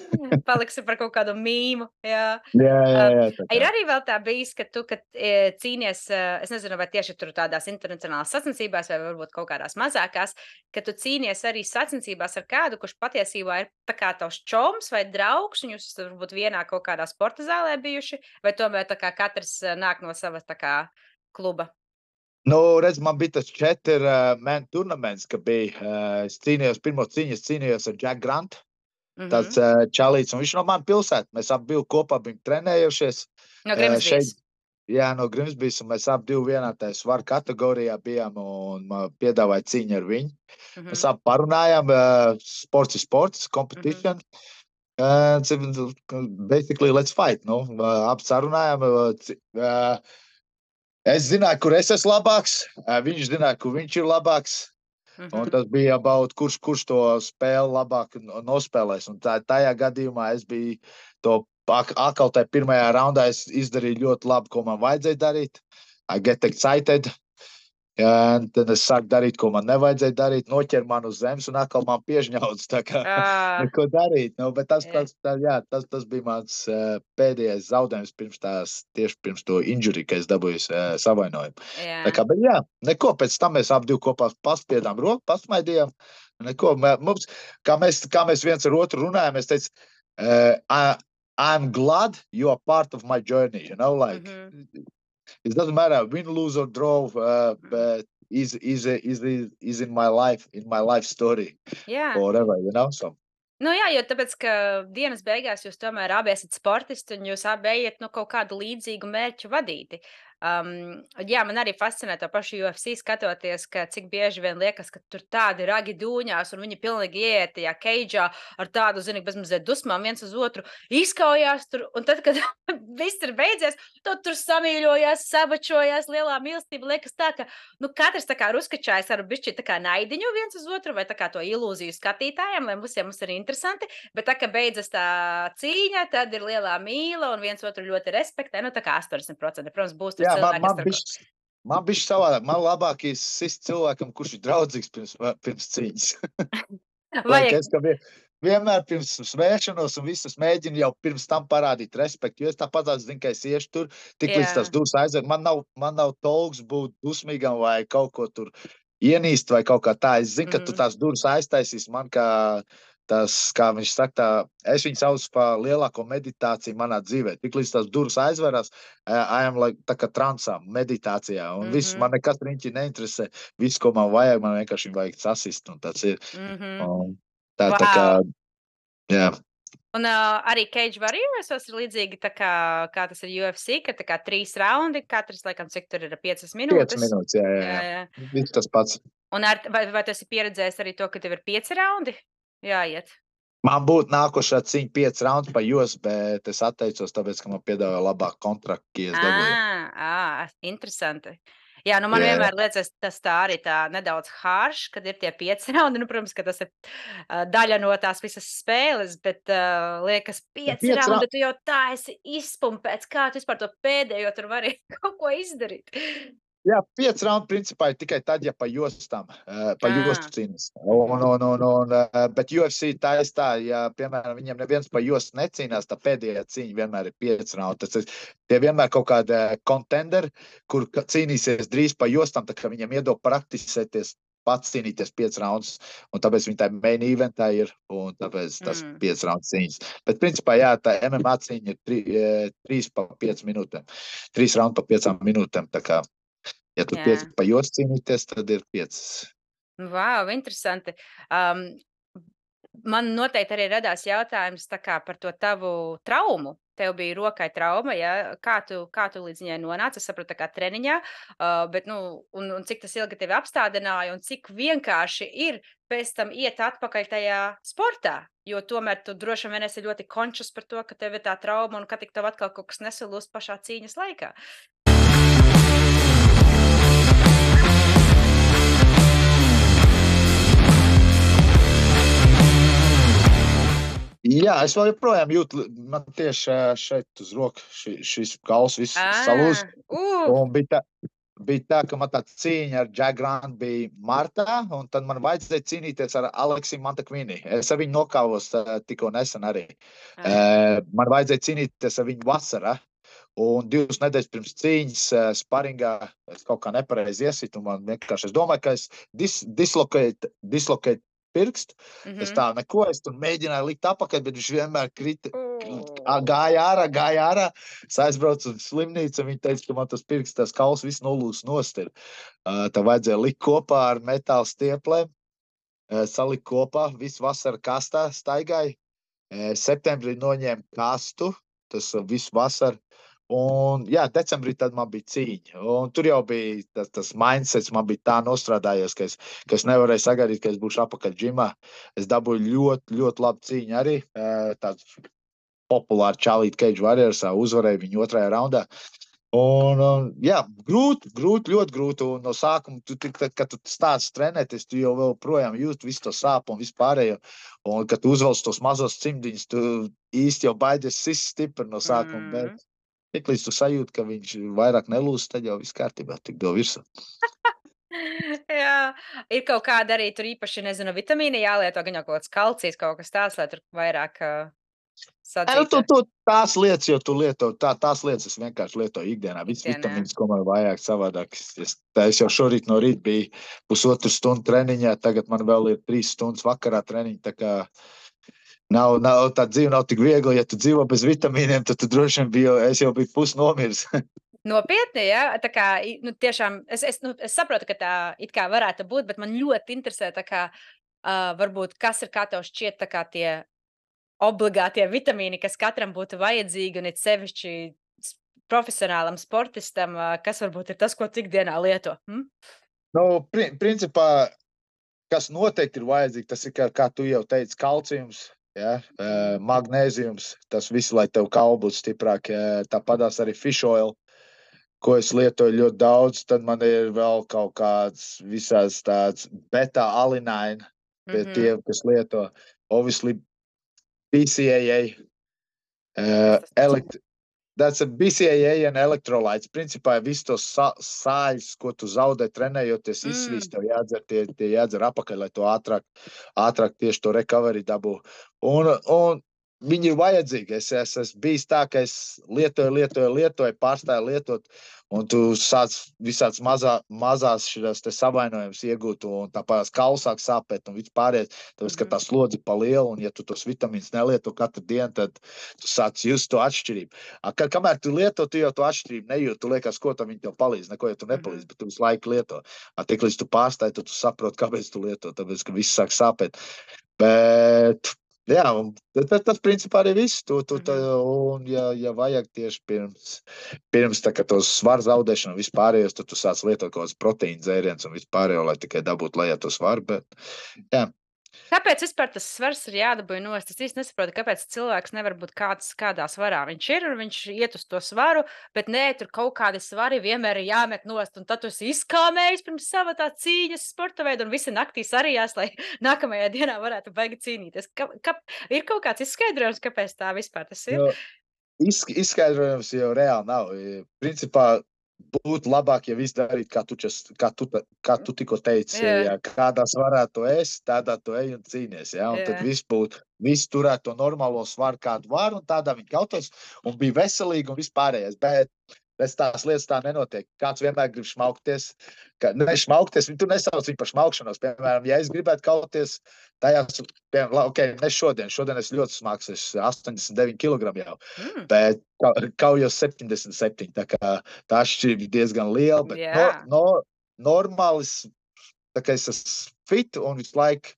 paliksi par kaut kādu mīmu. Jā. jā, jā. Um, jā tā ir kā. arī vēl tā bijis, ka tu, kad e, cīnies, e, es nezinu, vai tieši tur tādās internacionālās sacensībās, vai varbūt kaut kādās mazākās, ka tu cīnies arī sacensībās ar kādu, kurš patiesībā ir tā kā tavs čoms vai draugs, un jūs esat varbūt vienā kaut kādā sporta zālē bijuši, vai tomēr tā kā katrs e, nāk no savas tā kā kluba? Nu, redz, man bija tas četri uh, man turnaments, ka bija, uh, es cīnījos, pirmo cīņu es cīnījos ar Jack Grant, Mhm. tāds uh, čalīts, un viņš no man pilsēta. Mēs abi biju kopā, bijām trenējušies. No Uh, Grimsbīs. Jā, no Grimsbīs, un mēs abi divi vienā tajā svaru kategorijā bijām, un man piedāvāja cīņu ar viņu. Mhm. Mēs abi parunājām, uh, sports ir sports, competition. Uh, basically, let's fight. Nu, uh, abi sarunājām. Uh, ci- uh, es zināju, kur es esmu labāks, uh, viņš zināja, kur viņš ir labāks. Un Mhm. tas bija about, kurš, kurš to spēli labāk no- nospēlēs. Un tā, tajā gadījumā es biju to ak- atkal tajā pirmajā raundā es izdarīju ļoti labi, ko man vajadzēja darīt. I get excited. Un tad es sāku darīt, ko man nevajadzēja darīt. Noķer man uz zemes un atkal man piežņauts. Tā kā Ā, neko darīt. Nu, bet tas, Jā. tas, tā, jā, tas, tas bija mans uh, pēdējais zaudējums pirms tās, tieši pirms to injury, ka es dabūju uh, savainojumu. jā. Tā kā, bet jā, neko, pēc tam mēs abi divi kopā paspiedām roku, pasmaidījām. Neko, mē- mums, kā mēs, kā mēs viens ar otru runājām, es teicu, uh, I, I'm glad you are part of my journey, you know, like, Mhm. it doesn't matter, win, lose or draw, uh, but is is is is is in my life, in my life story, Jā. or whatever, you know, so. Nu jā, jo tāpēc, ka dienas beigās jūs tomēr abi esat sportisti un jūs abi ejat nu, kaut kādu līdzīgu mērķu vadīti. Um, jā, man arī fascinē to pašu U F C skatoties, ka cik bieži vien liekas, ka tur tādi ragi dūņās, un viņi pilnīgi ieiet tajā keidžā ar tādu, zini, bezmazliet dusmām viens uz otru, izkaujās tur, un tad, kad viss ir beidzies, tad tur samīļojās, sabačojās, lielā mīlestība liekas tā, ka, nu, katrs tā kā ir uzkačājis ar bišķi tā kā naidiņu viens uz otru, vai tā kā to ilūziju skatītājiem, lai visiem mums ir interesanti, bet tā, ka beidzas tā cīņa, tad ir lielā mīla, un viens otru ļoti respektē, nu, tā kā astoņdesmit procenti, protams, būs tur Jā, man, cilvēki, man kas tur... bišķi, man bišķi savādāk. Man labāk ir sist cilvēkam, kurš ir draudzīgs pirms, pirms cīņas. Lai Vajag... es, ka vien, vienmēr pirms svēršanos un visus mēģinu jau pirms tam parādīt respektu, jo es tāpat zinu, ka es iešu tur, tik līdz tas durs aizver. Man nav, man nav tolks būt dusmīgam vai kaut ko tur ienīst vai kaut kā tā. Es zinu, ka tu tās durus aiztaisīs man, kā tas, kā viņš saka, tā, es viņu saucu par lielāko meditāciju manā dzīvē. Tik līdz tās durus aizverās, I am like, tā kā transā, meditācijā. Un mm -hmm. viss, man nekas riņķi neinteresē. Viss, ko man vajag, man vienkārši vajag sasist. Un tas ir. Mm -hmm. un tā, wow. tā kā, jā. Un uh, arī Cage Warriors ir līdzīgi tā kā, kā tas ir U F C, ka tā kā trīs raundi, katrs, laikam, cik tur ir piecas minūtes. Piecas minūtes, jā, jā, jā. jā. Viss tas pats. Un ar, vai, vai tu esi pieredzējis arī to, ka tev ir pieci raundi? Jāiet. Man būtu nākošā cīņa pieci raundi pa jūs, bet es atteicos, tāpēc, ka man piedāvāja labāk kontraktu, ja es dabūju. Ā, interesanti. Jā, nu man yeah. vienmēr liekas, tas tā arī tā nedaudz harš, kad ir tie pieci raundi. Nu, protams, ka tas ir uh, daļa no tās visas spēles, bet uh, liekas, pieci raundi, ra... tu jau tā esi izpumpēts. Kā tu vispār to pēdējo tur vari kaut ko izdarīt? Jā, pieci raundi principā ir tikai tad, ja pa jostām, uh, pa jostu cīnās. Un, un, un, un, uh, bet U F C tā ir tā, ja, piemēram, viņiem neviens pa jostu necīnās, tā pēdējā cīņa vienmēr ir pieci raundi. Tas ir tie vienmēr kaut kādi kontenderi, kur cīnīsies drīz pa jostām, tā kā viņiem iedod praktisēties, pats cīnīties pieci raundus, un tāpēc viņi tā main eventā ir, un tāpēc tas mm. pieci raundu cīņas. Bet principā, jā, tā M M A cīņa ir tri, trīs pa pieci minūtēm. Trīs raundi pa piecām minūtēm, tā kā. Ja tu pieci pa jostu cīnīties, tad ir piecas. Vau, interesanti. Um, man noteikti arī radās jautājums tā kā par to tavu traumu. Tev bija rokai trauma, ja? Kā tu, kā tu līdz viņai nonāci? Es saprotu, tā kā treniņā, uh, bet, nu, un, un cik tas ilgi tevi apstādināja, un cik vienkārši ir pēc tam iet atpakaļ tajā sportā, jo tomēr tu droši vien esi ļoti končus par to, ka tev ir tā trauma, un ka tik tev atkal kaut kas nesalūst pašā cīņas laikā. Jā, es vēl joprojām jūtu, man tieši šeit uz roku ši, šis kauls viss salūst. Uh. Un bija tā, bija tā, ka man tā cīņa ar Jack Grant bija martā, un tad man vajadzēja cīnīties ar Aleksiju Montekvini. Es ar viņu nokāvos tikko nesen arī. Uh, man vajadzēja cīnīties ar viņu vasarā. Un divas nedēļas pirms cīņas sparingā es kaut kā nepareizi iesitu. Man vienkārši, es domāju, ka es dis, dislokēju dislokēt pirkstu. Mm-hmm. Es tā neko, es tur mēģināju likt apakaļ, bet viņš vienmēr krita, gāja ārā, gāja ārā. Es aizbraucu uz slimnīcu, un viņi teica, ka man tas pirksts, tas kauls viss nolūs nost ir. Tā vajadzēja likt kopā ar metāla stieplēm, salikt kopā, visu vasaru kastā staigāju. Septembrī noņēmu kastu, tas visu vasaru. Un, jā, decembrī tad man bija cīņa. Un tur jau bija tas, tas mindsets, man bija tā nostrādājies, ka es, ka es nevarēju sagaidīt, ka es būšu apakaļ džimā. Es dabūju ļoti, ļoti labu cīņu arī. Tāds populāri Charlie Cage Warriors, uzvarēju viņu otrajā raundā. Un, un jā, grūti, grūti, ļoti grūti. Un no sākuma, tu, tad, kad tu stāsts trenēties, tu jau vēl projām jūti visu to sāpu un vispārējo. Un, kad tu uzvelc tos mazos cimdiņus, tu īsti jau baidies sist stipri no sākuma. Mm. Bet tik līdz tu sajūti, ka viņš vairāk nelūst, tad jau viss kārtībā, tik do virsū. Jā, ir kaut kāda arī tur īpaši, nezinu, vitamīni jālieto, gan jau kaut kāds kalcijs, kaut kas tāds, lai tur vairāk uh, sadzītu. Nu, tu, tu, tās lietas, jo tu lieto, tā, tās lietas es vienkārši lietoju ikdienā. Viss vitamīns, ko man vajag savādāk. Es, es jau šorīt no rīt biju pusotru stundu treniņā, tagad man vēl ir trīs stundas vakarā treniņa, tā kā Nav, nav, tā dzīve nav tik viegla, ja tu dzīvo bez vitamīniem, tad tu droši vien biji, es jau biju pusnomirs. Nopietni, jā, tā kā, nu, tiešām, es, es, nu, es saprotu, ka tā it kā varētu būt, bet man ļoti interesē, tā kā, uh, varbūt, kas ir, kā tev šķiet, tā kā tie obligātie vitamīni, kas katram būtu vajadzīgi, un it sevišķi profesionālam sportistam, kas varbūt ir tas, ko tu ikdienā lieto? Hm? Nu, pri principā, kas noteikti ir vajadzīgi, tas ir, kā, kā tu jau teici, kalcijums, ja? Mm. Magnēzijums, tas viss, lai tev kauli būtu stiprāk. Tāpatās arī fish oil, ko es lietoju ļoti daudz. Tad man ir vēl kaut kāds visās tāds beta-alinēni, pie Mm-hmm. tiem, kas lieto. Obviously, B C A A, Kas uh, tas ir? elekt That's a B C A A un elektrolīts. Principā viss tos sā, sāļus, ko tu zaudē trenējoties, Mm. izsvīst, tev jādzer, tie, tie jādzer apakaļ, lai to ātrāk, ātrāk tieši to recovery dabū. Un, un viņi ir vajadzīgi. Es, es esmu bijis tā, ka es lietoju, lietoju, lietoju, pārstāju lietot, un tu sāc visāds mazā, mazās šīs savainojumus iegūt, un tāpēc kaula sāk sāpēt un viss pārējais, tāpēc, ka tā slodzi pa lielu, un ja tu tos vitamīnus nelieto katru dienu, tad tu sāc just to atšķirību. Ka, kamēr tu lieto, tu jau to atšķirību nejūti, tu liekas, ko tam viņi tev palīdz, neko jau tu nepalīdz, Mm-hmm. bet tu visu laiku lieto. Tik līdz tu pārstāji, tad tu saproti, kāpēc tu lieto, tāpēc, ka viss sāk sāpēt. Bet, jā, tas, tas principā arī viss. Tu, tu, tā, un, ja, ja vajag tieši pirms, pirms tā, tos svaru zaudēšanu un vispārējos, tad tu sāc lietot kaut kāds proteīna dzēriens un vispārējo, lai tikai dabūtu lejā to svaru. Bet, jā. Kāpēc vispār tas svars ir jādabūj nost? Es īsti nesaprotu, kāpēc cilvēks nevar būt kāds, kādā svarā viņš ir, un viņš iet uz to svaru, bet nē, tur kaut kādi svari vienmēr ir jāmet nost, un tad tu esi izkāmējis pirms sava tā cīņas sporta veida, un visi naktī sarījās, lai nākamajā dienā varētu baigi cīnīties. Ka, ka, ir kaut kāds izskaidrojums, kāpēc tā vispār tas ir? Jo, izskaidrojums jau reāli nav. Principā, būtu labāk, ja viss darītu, kā tu, čas, kā tu, kā tu tikko teici. Jā. Ja kādā svarā tu esi, tādā tu ej un cīnies. Ja? Un Jā. tad viss būtu, viss turētu to normālo svaru, kādu var, un tādā viņi kautos, un bija veselīgi un vispārējais. Bet es tās lietas tā nenotiek. Kāds vienmēr grib šmaukties. Ka, ne šmaukties, viņi tur nesauc viņu par šmaukšanos. Piemēram, ja es gribētu kauties tajās, piemēram, ok, ne šodien, šodien es ļoti smags, es astoņdesmit deviņi kilogrami jau, Mm. bet kaujos septiņdesmit septiņi, tā kā tā atšķirība ir diezgan liela, bet Jā. no, no, normālis, tā kā es esmu fit un visu laiku,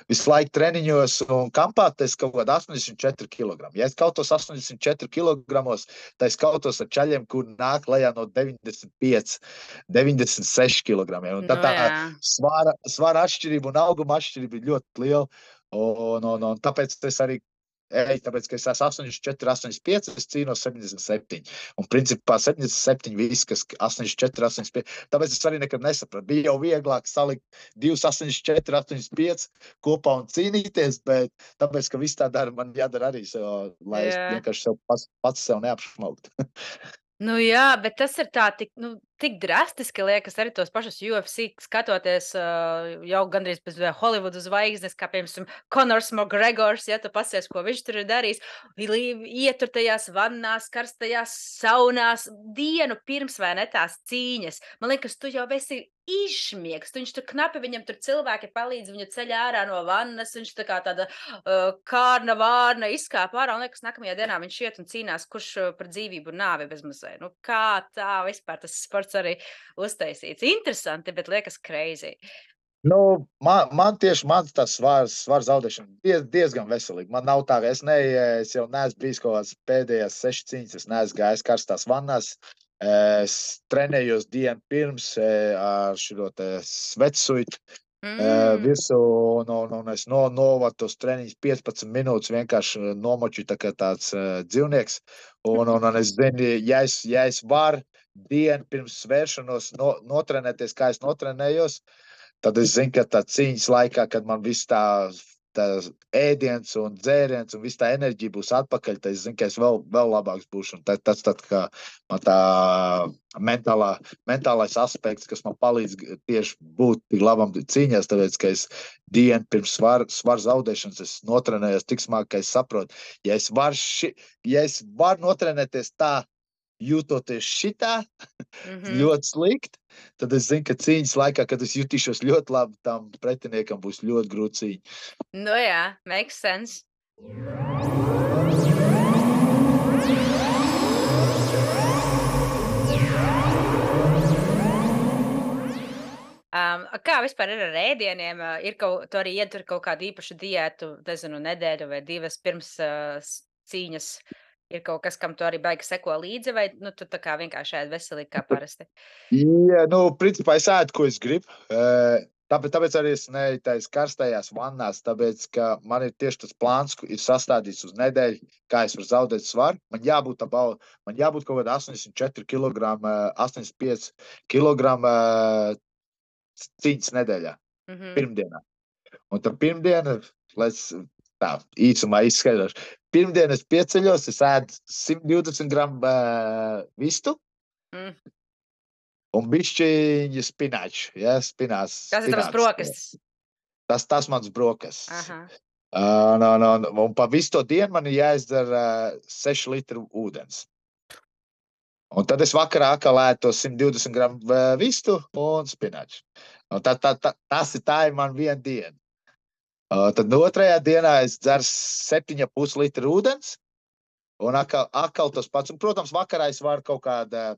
visu laiku treniņos un kampā, tas kaut kādā astoņdesmit četri kilogrami. Ja es kautos astoņdesmit četri kilogramos, tad es kautos ar čaļiem, kur nāk lejā no deviņdesmit pieci, deviņdesmit seši kilogramiem. Un tad Nu, tā jā. svara, svara atšķirība un auguma atšķirība ir ļoti liela. Un, un, un tāpēc es arī Ej, tāpēc, ka es esmu astoņdesmit četri, astoņdesmit pieci, es cīnos septiņdesmit septiņi. Un principā septiņdesmit septiņi viss, kas astoņdesmit četri, astoņdesmit pieci. Tāpēc es arī nekad nesapratu. Bija jau vieglāk salikt divus astoņdesmit četri, astoņdesmit pieci kopā un cīnīties, bet tāpēc, ka viss tā dara, man jādara arī sev, lai es Jā. vienkārši sev pats, pats sev neapšmauktu. Nu jā, bet tas ir tā tik, nu, tik drastiski liekas arī tos pašus U F C skatoties uh, jau gandrīz pēc Holivudu zvaigznes, kā piemēram Conors McGregors, ja tu pasies, ko viņš tur ir darījis, ietur tajās vannās, karstajās saunās, dienu pirms vai ne tās cīņas. Man liekas, tu jau esi izšmiegs, viņš tur knapi, viņam tur cilvēki palīdz viņu ceļ ārā no vannas, viņš tā kā tāda uh, kārna vārna izkāpa ārā, un liekas, nākamajā dienā viņš iet un cīnās, kurš uh, par dzīvību un nāvi bezmazē. Nu, kā tā vispār tas sports arī uztaisīts? Interesanti, bet liekas crazy. Nu, man, man tieši mans tas svars, svars zaudēšana diez, diezgan veselīgi. Man nav tā, ka es, ne, es jau neesmu bijis kaut kāds pēdējās seši cīņas, es neesmu gājis karstās vannās. Es trenējos dienu pirms ar šo svetsuitu mm. virsū, un, un, un es no, novadu tos treniņus piecpadsmit minūtes vienkārši nomoču tā kā tāds uh, dzīvnieks. Un, un, un es zinu, ja es, ja es varu dienu pirms svēršanos no, notrenēties, kā es notrenējos, tad es zinu, ka tā cīņas laikā, kad man viss tā, tā ēdiens un dzēriens un viss tā enerģija būs atpakaļ, tad es zinu, ka es vēl, vēl labāks būšu. Un tas tā, tā, tā, man tā mentālā, mentālais aspekts, kas man palīdz tieši būt tik labam cīņās, tāpēc, ka es dienu pirms svaru svar zaudēšanas es notrenējos tik smagi, ka es saprotu, ja es varu ši, ja es varu notrenēties tā, jūtoties šitā, mm-hmm. ļoti slikti, tad es zinu, ka cīņas laikā, kad es jutīšos ļoti labi, tam pretiniekam būs ļoti grūti cīņa. Nu jā, makes sense. Um, kā vispār ir ar ēdieniem? Ir kaut, tu arī ietur kaut kādu īpašu diētu, nezinu, nedēļu vai divas pirms uh, cīņas? Ir kaut kas, kam tu arī baigi seko līdzi, vai nu, tu tā kā vienkārši ēd veselīgi kā parasti? Jā, nu, principā es ēdu, ko es gribu. Tāpēc, tāpēc arī es neeju tais karstajās vannās, tāpēc, ka man ir tieši tas plāns, ir sastādīts uz nedēļu, kā es varu zaudēt svaru. Man jābūt tā bau, man jābūt kaut kādā astoņdesmit četri kilogrami, astoņdesmit pieci kilogrami cīņas nedēļā, Mm -hmm. pirmdienā. Un tad pirmdiena, lai es tā īsumā izskaidrošu, pirmdien es pieceļos, es ēdu simt divdesmit gramu uh, vistu, Mm. un bišķiņa spināču, ja, spinās. Tas ir tavs brokastis. Tas, tas mans brokastis. Aha. Uh, no, no, un pa visu to dienu man ir jāizdara uh, seši litri ūdens. Un tad es vakarā atkal ēdu to simt divdesmit gramu uh, vistu un spināču. Un tā, tā, tā, tas ir tā ir man viena diena. Uh, tad otrajā dienā es dzeru septiņi ar pus litru ūdens, un atkal, atkal tas pats. Un, protams, vakarā es varu kaut kāda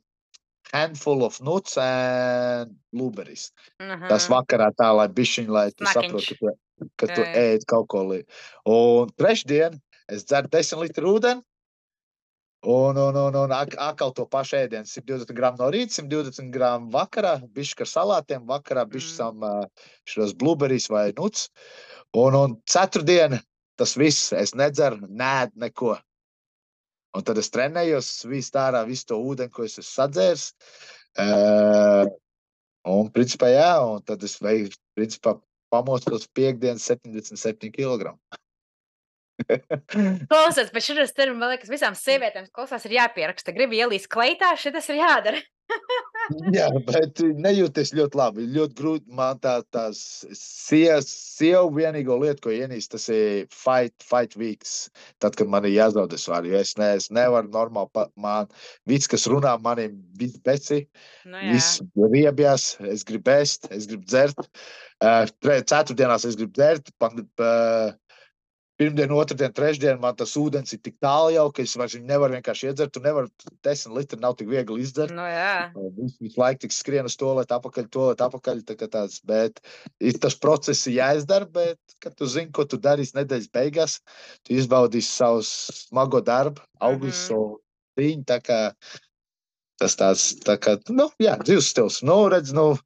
handful of nuts and blueberries. Aha. Tas vakarā tā, lai bišķiņ, lai tu Snakiņš. saproti, ka tu, ka tu Jā, jā. ēd kaut ko li. Un trešdien es dzeru desmit litru ūdeni, un, un, un, un ak- atkal to pašu ēdienu. simt divdesmit gramu no rīta, simt divdesmit gramu vakarā, bišķi ar salātiem, vakarā bišķi Mm. sam uh, šos blueberries vai nuts. Un, un ceturtdiena tas viss, es nedzeru, nēd neko. Un tad es trenējos, visu ārā, visu to ūdeni, ko es esmu sadzēris. Uh, un, principā, jā, un tad es veiktu, principā, pamostos piekdienas septiņdesmit septiņi kilogrami. Klausies, bet šis termins, man liekas, visām sievietēm klausās ir jāpieraksta. Gribu ielīst kleitā, šitas ir jādara. Jā, bet nejūties ļoti labi. Ļoti grūti man tā, tās sievas, sievu vienīgo lietu, ko ienīst, tas ir fight, fight weeks. Tad, kad man ir jāzaudē svaru, jo es, ne, es nevaru normāli, pa, man, viss, kas runā, man ir viss beci, Nu, jā. viss riebjās, es gribu ēst, es gribu dzert. Uh, tre- ceturtdienās es gribu dzert, pan, uh, pirmdien, otrdien, trešdien man tas ūdens ir tik tālu jau, ka es vairs viņu nevaru vienkārši iedzert. Tu nevari, desmit litri nav tik viegli izdzert. Nu, jā. Visu, visu laiku tik skrien uz to, lai apakaļ, to, lai apakaļ, tā kā tāds, bet ir tas process ir jāizdara, bet, kad tu zini, ko tu darīsi nedēļas beigās, tu izbaudīsi savu smago darbu, augļus, Mhm. savu cīņu, tā kā tas tāds, tā kā, nu, jā, dzīves stils. Nu, redz, nu,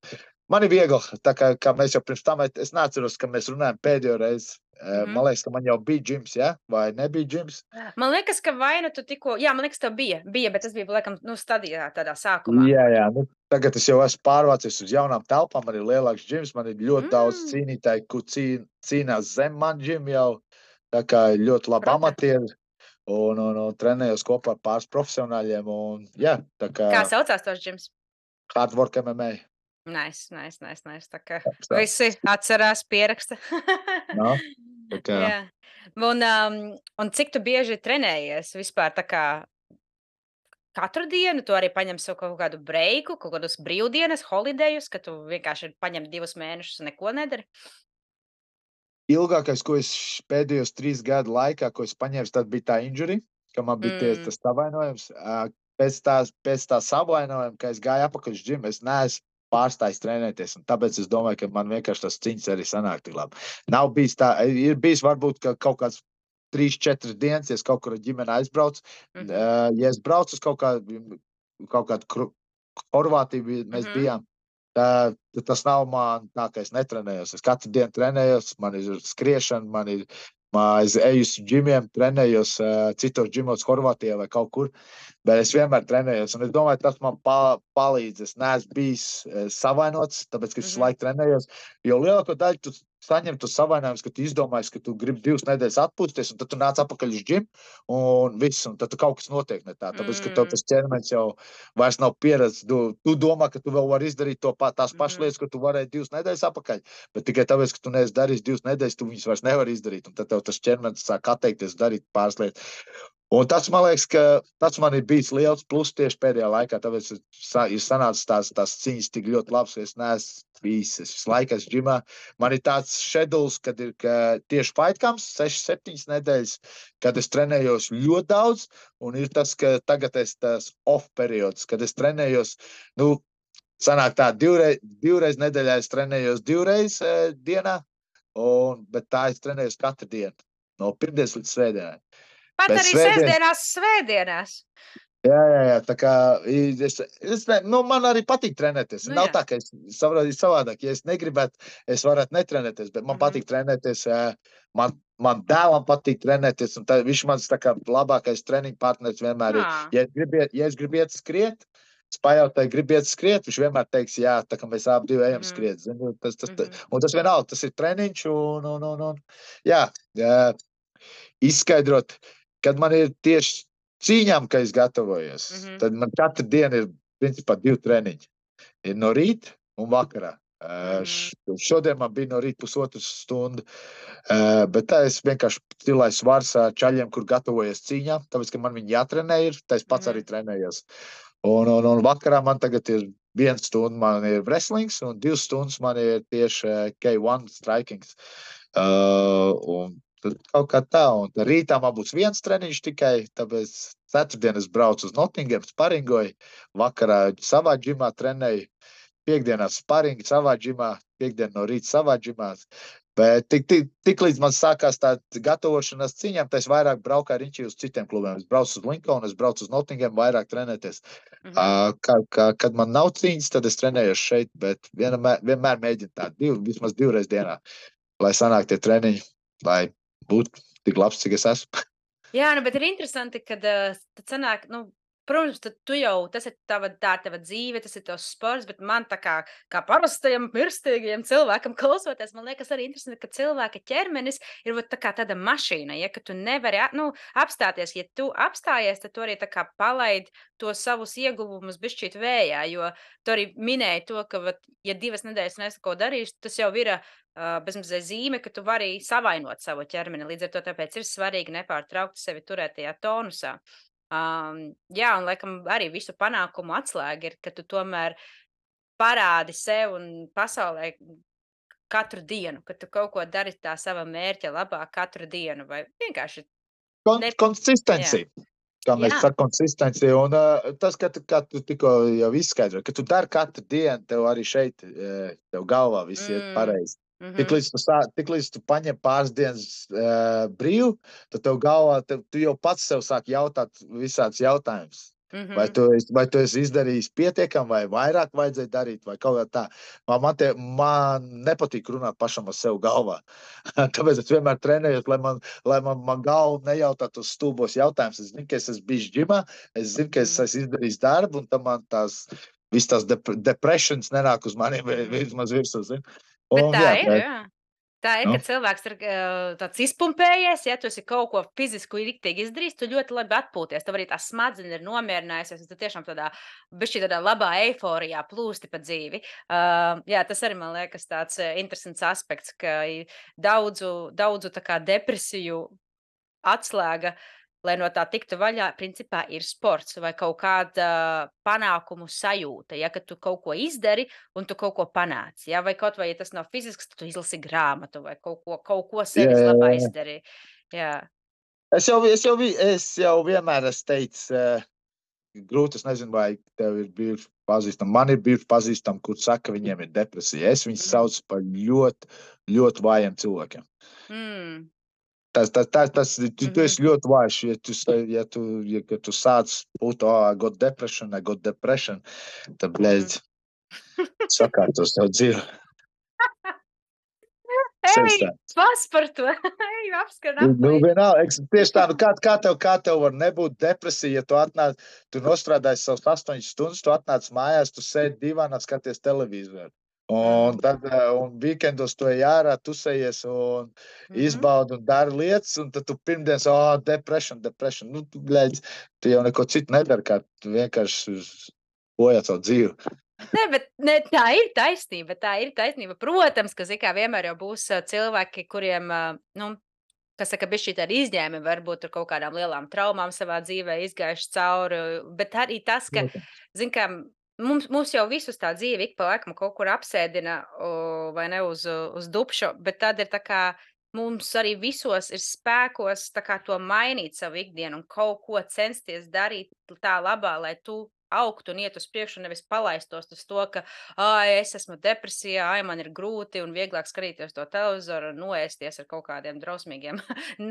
man ir viegli, tā kā, kā mēs jau pirms tam, es neatceros, ka mēs runājam pēdējo reizi. Mhm. Man liekas, ka man jau bija džims, ja? Vai nebija džims? Man liekas, ka vai nu tu tikko, jā, man liekas, tev bija, bija, bet tas bija, laikam, nu, stadijā tādā sākumā. Jā, jā. Nu, tagad es jau esmu pārvācies uz jaunām telpām, man ir lielāks džims, man ir ļoti mm. daudz Mm. cīnītāji, kur cīn, cīnās zem man džim jau. Tā kā ir ļoti labi Protams. amatieri un, un, un trenējos kopā ar pāris profesionāļiem. Un, jā, tā kā Kā saucās tos džims? hard work M M A. Nice, nice, nice, nice. Tā kā Tā. visi atcerās, pieraksta. No, tā kā. Jā. Un, um, un cik tu bieži trenējies vispār tā kā katru dienu? Tu arī paņem sev kaut kādu breiku, kaut kādus brīvdienas, holidejus, ka tu vienkārši paņem divus mēnešus un neko nedari? Ilgākais, ko es pēdējos trīs gadu laikā, ko es paņēmu, tad bija tā injury, ka man bija tie, Mm. tas savainojums. Ā, Pēc tās, pēc tā savainojuma, ka es gāju apakaļ uz džimu, es neesmu pārstājis trenēties. Un tāpēc es domāju, ka man vienkārši tas cīņas arī sanāk tik labi. Nav bijis tā, ir bijis varbūt ka kaut kāds trīs, četras dienas, ja es kaut kur ar ģimeni aizbraucu. Mhm. Uh, ja es braucu uz kaut kādu, kaut kādu kru- Horvātiju, bij- mēs Mhm. bijām, tā, tad tas nav man tā, ka es netrenējos. Es katru dienu trenējos, man ir skriešana, man ir, man es eju uz džimiem, trenējos uh, citos džimos Horvātijā vai kaut kur. Bet es vienmēr trenējos, un es domāju, tas man pa, palīdz. Es neesmu bijis e, savainots, tāpēc, ka es visu Mhm. laiku trenējos. Jo lielāko daļu tu saņem tos savainojumus, ka tu izdomājies, ka tu gribi divas nedēļas atpūsties, un tad tu nāc atpakaļ uz džimu, un viss, un tad tu kaut kas notiek ne tā. Tāpēc, ka tev Mm. tas ķermenis jau vairs nav pieredzis. Tu, tu domā, ka tu vēl vari izdarīt to pa, tās pašas Mhm. lietas, ko tu varēji divas nedēļas atpakaļ, bet tikai tāpēc, ka tu neesi darījis divas nedēļas, tu viņus vairs nevari izdarīt, un tad tev tas ķermenis sāk atteikties darīt pāris lietas. Un tas, man liekas, ka tas man ir bijis liels pluss tieši pēdējā laikā, tāpēc ir sa- ir sanācis tās, tās cīņas tik ļoti labs, ka es neesmu bijis, es visu laiku esmu džimā. Man ir tāds schedules, kad ir ka tieši fightcams, sešas, septiņas nedēļas, kad es trenējos ļoti daudz, un ir tas, ka tagad es tas off periods, kad es trenējos, nu, sanāk tā, divreiz, divreiz nedēļā es trenējos divreiz e, dienā, un, bet tā es trenējos katru dienu, no pirmdienas līdz svētdienai. Pat Bet arī svētdien, sestdienās, svētdienās. jā, jā, jā, tā kā es, es ne, nu, man arī patīk trenēties. Nu Nav jā. tā, ka es saprotu savādāk. Ja es negribētu, es varētu netrenēties, bet man Mhm. patīk trenēties. ā, Man, man dēlam patīk trenēties, un tā, viņš mans tā kā labākais treniņu partners vienmēr ir. Ā. Ja es gribu iet, ja es gribu iet skriet, es pajautāju, gribu iet skriet, viņš vienmēr teiks, jā, tā kā mēs abi divi ejam Mhm. skriet. Zini, tas, tas, tas, Mhm. un tas vienalga, tas ir treniņš, un, un, un, un jā, jā, izskaidrot, kad man ir tieši cīņām, ka es gatavojos, Mhm. tad man katru dienu ir principā divi treniņi. Ir no rīta un vakarā. Uh, Mhm. š- Šodien man bija no rīta pusotru stundu, uh, bet tā es vienkārši cilāju svars ar čaļiem, kur gatavojies cīņām, tāpēc, ka man viņi jātrenē ir, tā es pats Mhm. arī trenējos. Un, un, un vakarā man tagad ir viena stunda, man ir wrestlings, un divas stundas man ir tieši uh, K one strikings. Uh, un tad kaut kā tā, un tad rītā man būs viens treniņš tikai, tāpēc ceturtdien es braucu uz Nottingham, sparingoju, vakarā savā džimā trenēju, piekdienās sparingi savā džimā, piekdien no rīta savā džimā. Bet tik, tik, tik līdz man sākās tā gatavošanās cīņām, tad es vairāk braucu ar riņķi uz citiem klubiem. Es braucu uz Lincolnu, es braucu uz Nottingham, vairāk trenēties. Mhm. Uh, kā, kā, kad man nav cīņas, tad es trenējos šeit, bet vienmēr, vienmēr mēģinu tā, div, vismaz divreiz dienā, lai sanāk tie treniņi, lai būtu tik labs, cik es esmu. Jā, nu, bet ir interesanti, kad uh, tad sanāk, nu, protams, tad tu jau, tas ir tava, tā ir tava dzīve, tas ir tavs sports, bet man tā kā, kā parastajam mirstīgajam cilvēkam klausoties, man liekas arī interesanti, ka cilvēka ķermenis ir vat tā kā tāda mašīna, ja, ka tu nevari, a- nu, apstāties. Ja tu apstājies, tad tu arī tā kā palaid to savus ieguvumus bišķīt vējā, jo tu arī minēji to, ka, vat, ja divas nedēļas neesi ko darījis, tas jau ir uh, bezmazliet zīme, ka tu vari savainot savu ķermeni. Līdz ar to tāpēc ir svarīgi nepārtraukti sevi turēt tajā tonusā. Um, jā, un laikam arī visu panākumu atslēga ir, ka tu tomēr parādi sev un pasaulē katru dienu, ka tu kaut ko dari tā sava mērķa labā katru dienu, vai vienkārši Kon ne... Jā, konsistencija. Kā mēs jā. sakām, konsistencija. Un uh, tas, ka tu, kā tu tikko jau izskaidroji, ka tu dari katru dienu, tev arī šeit, uh, tev galvā viss iet Mm. pareizi. Tik Mhm. līdz tu, sā, tik līdz tu paņem pāris dienas uh, brīvu, tad tev galvā, tev, tu jau pats sev sāk jautāt visādus jautājumus. Vai Mhm. tu, esi- vai tu esi izdarījis pietiekami, vai vairāk vajadzēja darīt, vai kaut kā tā. Man, man, te, man nepatīk runāt pašam ar sevi galvā. Tāpēc es vienmēr trenējos, lai man, lai man, man galva nejautātu uz stulbos jautājumus. Es zinu, ka es esmu bijis ģimā, es zinu, ka es Mhm. esmu izdarījis darbu, un tam man tās, viss tās dep depressions nenāk uz maniem Mhm. vismaz virsū. zini. Bet Un, tā jā, ir, bet, jā. Tā ir, nu, kad cilvēks ir uh, tāds izpumpējies, ja tu esi kaut ko fizisku riktīgi izdarījis, tu ļoti labi atpūties. Tev arī tā smadzenes ir nomierinājusies, un tu tiešām tādā, bišķi tādā labā eiforijā plūsti pa dzīvi. Uh, jā, tas arī man liekas tāds uh, interesants aspekts, ka i daudzu, daudzu tā kā depresiju atslēga, lai no tā tiktu vaļā, principā ir sports vai kaut kāda panākumu sajūta. Ja, ka tu kaut ko izdari un tu kaut ko panāci. Ja, vai kaut vai ja tas nav fizisks, tad tu izlasi grāmatu vai kaut ko, kaut ko jā, sevis jā, labā jā. izdari. Jā. Es jau, es jau, vi- es jau vienmēr esmu teicis, uh, grūti, es nezinu, vai tev ir bijuši pazīstami. Man ir bijuši pazīstami, kur saka, ka viņiem ir depresija. Es viņus Mm. saucu par ļoti, ļoti vājiem cilvēkiem. Mm. Tas, tas, tas, tas tu, tu Mhm. esi ļoti vājš. Ja tu, sa- ja tu, ja, kad tu sāc būt, oh, I got depression, I got depression, tad, Mhm. blēdz, sakārtos savu dzīvi. Sevis Ei, tā. pas par to! Ei, apskan Nu, nu, aplī! vienalga, eks- tieši tā, nu kā, kā, tev, kā tev var nebūt depresija, ja tu atnāc, tu nostrādāji savus astoņas stundas, tu atnāc mājās, tu sēdi divānā, skaties televizoru. Un Mm. tad, eh, un weekendos tu ej ārā, tu sejies un Mhm. izbaudi un dari lietas, un tad tu pirmdienas, oh, depression, depression. Nu, tu, bļēdz, tu jau neko citu nedari, kā tu vienkārši bojā savu dzīvi. Nē, bet ne, tā ir taisnība. Tā ir taisnība. Protams, ka zini, kā vienmēr jau būs ā, cilvēki, kuriem, ā, nu, kas saka, bišķīt ar izņēmumi, varbūt ar kaut kādām lielām traumām savā dzīvē izgājuši cauri. Bet arī tas, ka, Protams. zini, kā mums, mums jau visus tā dzīve ik pa laikam kaut kur apsēdina, o, vai ne, uz, uz dupšu, bet tad ir tā kā mums arī visos ir spēkos tā kā to mainīt savu ikdienu un kaut ko censties darīt tā labā, lai tu augt un iet uz priekšu, nevis palaistos uz to, ka, ai, es esmu depresijā, ai, man ir grūti un vieglāk skatīties to televizoru un noēsties ar kaut kādiem drausmīgiem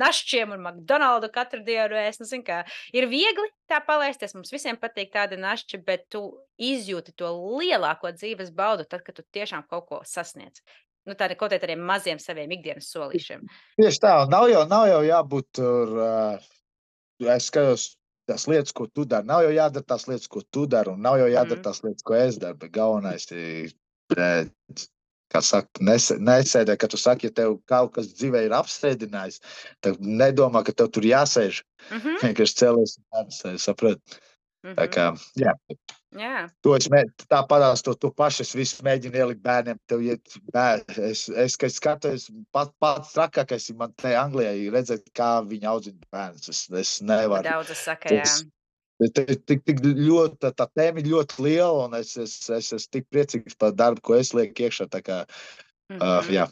našķiem un McDonaldu katru dienu ēst. Nu, zin kā, ir viegli tā palaisties, mums visiem patīk tādi našķi, bet tu izjūti to lielāko dzīves baudu tad, kad tu tiešām kaut ko sasniedz. Nu, tādi kaut kādiem maziem saviem ikdienas solīšiem. Tieši tā, nav jau, nav jau jābūt tur, uh, es skatos tās lietas, ko tu dari. Nav jau jādara tās lietas, ko tu dari, un nav jau jādara Mhm. tās lietas, ko es daru, bet galvenais ir, bet, kā saka, nes, nesēdē, kad tu saki, ja tev kaut kas dzīvē ir apsēdinājis, tad nedomā, ka tev tur jāsēž. Mhm. Vienkārši cēlies un jāsēž, saprot. Tā Mhm. kā, jā. Jā. To es mē, tā padās, to tu paši es visu mēģinu ielikt bērniem. Tev iet bēr, es, es, kad skatos, pat, pats trakākais ir man te Anglijā ir redzēt, kā viņi audzina bērnus. Es, es Ko nevaru. daudz saka, jā. Tas, tik, tik, tik ļoti, tā tēma ir ļoti liela, un es, es, es esmu tik priecīgs par darbu, ko es lieku iekšā. Tā kā, uh, Mhm. jā,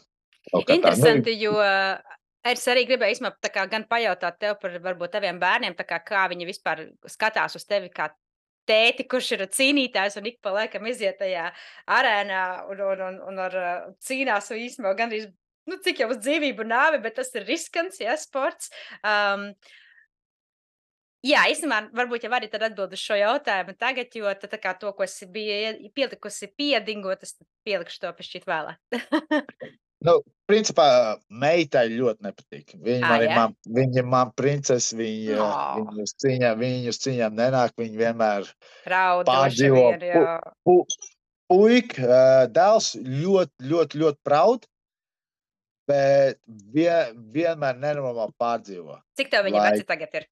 kaut kā tā. Interesanti, jo uh, es arī gribēju īstenībā tā kā gan pajautāt tev par varbūt taviem bērniem, tā kā, kā viņi vispār skatās uz tevi kā tēti, kurš ir cīnītājs un ik pa laikam iziet tajā arēnā un, un, un, un ar, uh, cīnās un īstenībā gandrīz, nu, cik jau uz dzīvību nāvi, bet tas ir riskants, ja, sports. Um, jā, īstenībā varbūt jau arī tad atbild uz šo jautājumu tagad, jo tad tā kā to, ko es biju pielikusi piedingot, es pielikšu to pišķīt vēlāk. Nu, principā, meitai ļoti nepatīk. Viņa Ā, man ir jā? man, viņa man princese, viņa, No. viņa uz cīņām, viņa uz cīņām nenāk, viņa vienmēr Raud droši pārdzīvo. vien, jā. Pu, pu, puika, uh, dēls ļoti, ļoti, ļoti proud, bet vien, vienmēr nenormāli pārdzīvo. Cik tev viņa Lai- veci tagad ir?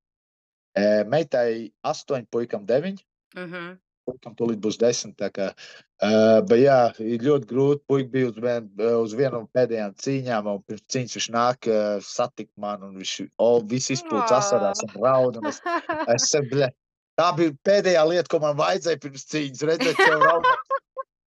Uh, meitai astoņi, puikam deviņi. Mhm. Puikam tūlīt būs desmit. Tā kā, uh, bet jā, ir ļoti grūti. Puika bija uz, vien, uz vienu no pēdējām cīņām, un pirms cīņas viņš nāk uh, satikt man, un viņš oh, viss izpūts asarās un raud. Un es, es, bļa, tā bija pēdējā lieta, ko man vajadzēja pirms cīņas, redzēt sev raudāt.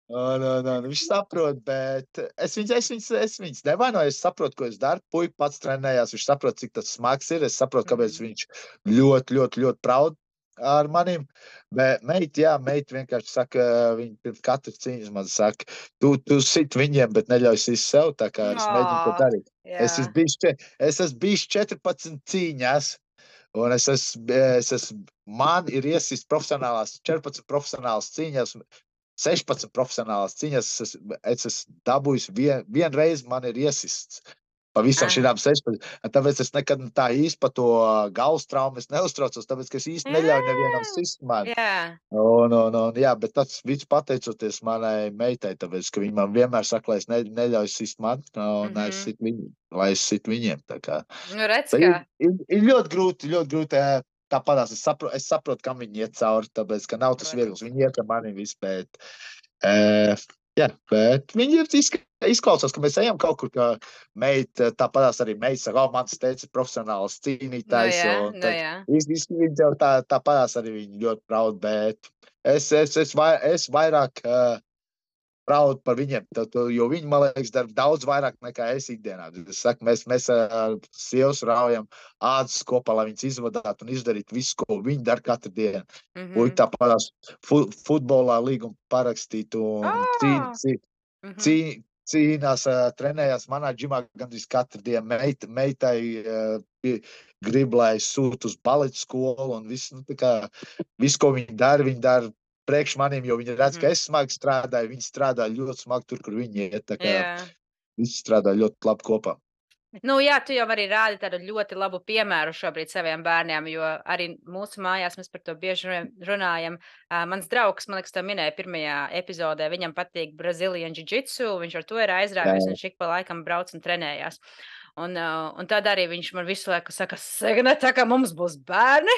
Un, un, un, viņš saprot, bet es viņus, es viņus, es viņus nevainoju, es saprotu, ko es daru. Puika pats trenējās, viņš saprot, cik tas smags ir. Es saprotu, kāpēc viņš ļoti, ļoti, ļoti proud ar maniem. Bet meita, jā, meita vienkārši saka, viņa pirms katras cīņas man saka, tu, tu sit viņiem, bet neļauj sist sev, tā kā es mēģinu to darīt. Es esmu bijis, čet- es esmu bijis četrpadsmit cīņās, un es esmu, es esmu, man ir iesist profesionālās, četrpadsmit profesionālās cīņās, sešpadsmit profesionālās cīņas, es, esmu- es esmu dabūjis vien, vienreiz man ir iesists. Pa visam Ah. šīm sešpadsmit. Tāpēc es nekad tā īsti par to galvas traumu es neuztraucos, tāpēc, ka es īsti neļauju nevienam sist man. Jā. Un, un, un, jā, bet tas viss pateicoties manai meitai, tāpēc, ka viņa man vienmēr saka, lai es ne, neļauju sist man, un Mhm. es sit viņu, lai es sit viņiem. Tā kā. Nu, redz, Bet kā. ir, ir, ir ļoti grūti, ļoti grūti. ē, Tāpatās es saprotu, es saprotu, kam viņi iet cauri, tāpēc, ka nav tas Protams. viegls. Viņi iet ar mani visu, bet, uh, jā, bet viņi ir izk- izklausās, ka mēs ejam kaut kur, ka meita, tāpatās arī meita saka, oh, mans teica ir profesionāls Nu, cīnītājs, jā, un nu, tad jā. vis- vis- viņi jau tā, tāpatās arī viņi ļoti proud, bet es, es, es, vai, es vairāk uh, proud par viņiem, tad, jo viņi, man liekas, dara daudz vairāk nekā es ikdienā. Es saku, mēs, mēs ar sievas raujam ādas kopā, lai viņas izvadātu un izdarītu visu, ko viņi dara katru dienu. Mhm. Puika tāpatās fu, futbolā līgumu parakstītu un Ā! cīn, cīn, Mhm. cīn, cīnās, ā, trenējās manā džimā gandrīz katru dienu. Meit, meitai ā, pi- grib, lai es sūtu uz baletu skolu un visu, nu, tā kā, visu, ko viņi dara, viņi dara priekš maniem, jo viņi redz, Mhm. ka es smagi strādāju, viņi strādā ļoti smagi tur, kur viņi iet, tā kā Jā. visi strādā ļoti labi kopā. Nu, jā, tu jau arī rādi tādu ļoti labu piemēru šobrīd saviem bērniem, jo arī mūsu mājās mēs par to bieži run- runājam. Uh, mans draugs, man liekas, to minēja pirmajā epizodē, viņam patīk Brazilian Jiu-Jitsu, viņš ar to ir aizrāvies, Jā. viņš ik pa laikam brauc un trenējās. Un, uh, un tad arī viņš man visu laiku saka, Signe, tā kā mums būs bērni,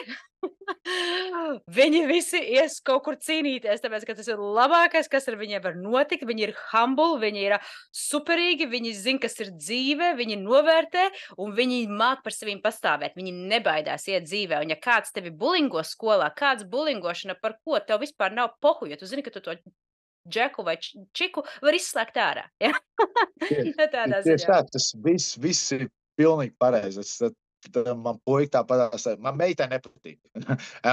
viņi visi ies kaut kur cīnīties, tāpēc, ka tas ir labākais, kas ar viņiem var notikt. Viņi ir humble, viņi ir superīgi, viņi zina, kas ir dzīve, viņi novērtē un viņi māk par sevīm pastāvēt. Viņi nebaidās iet dzīvē. Un ja kāds tevi bulingo skolā, kāds bulingošana par ko, tev vispār nav pohu, jo tu zini, ka tu to džeku vai č- čiku var izslēgt ārā. Ja? Tieši, Nu, tādā tieši ziņā. tā, tas viss, viss ir pilnīgi pareizi. Es, tad man puika tā padās, man meitai nepatīk. Un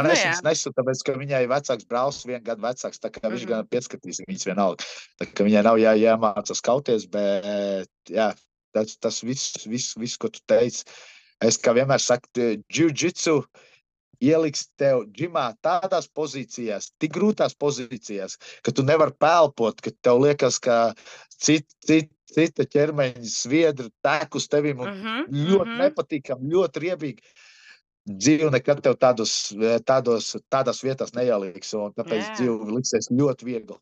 Nu es jā. viņas nesu, tāpēc, ka viņai vecāks brālis vienu gadu vecāks, tā kā viņš Mhm. gan pieskatīs viņas vienalga. Tā kā viņai nav jā, jāmācās kauties, bet jā, tas, tas viss, viss, viss, ko tu teici. Es kā vienmēr saku, jiu-jitsu ieliks tev džimā tādās pozīcijās, tik grūtās pozīcijās, ka tu nevar pelpot, ka tev liekas, ka cit, cit, cita ķermeņa sviedra tek uz tevim un Mhm. ļoti Mhm. nepatīkami, ļoti riebīgi. Dzīve nekad tev tādos, tādos, tādās vietās neieliks, un tāpēc Jā. dzīve liksies ļoti viegli.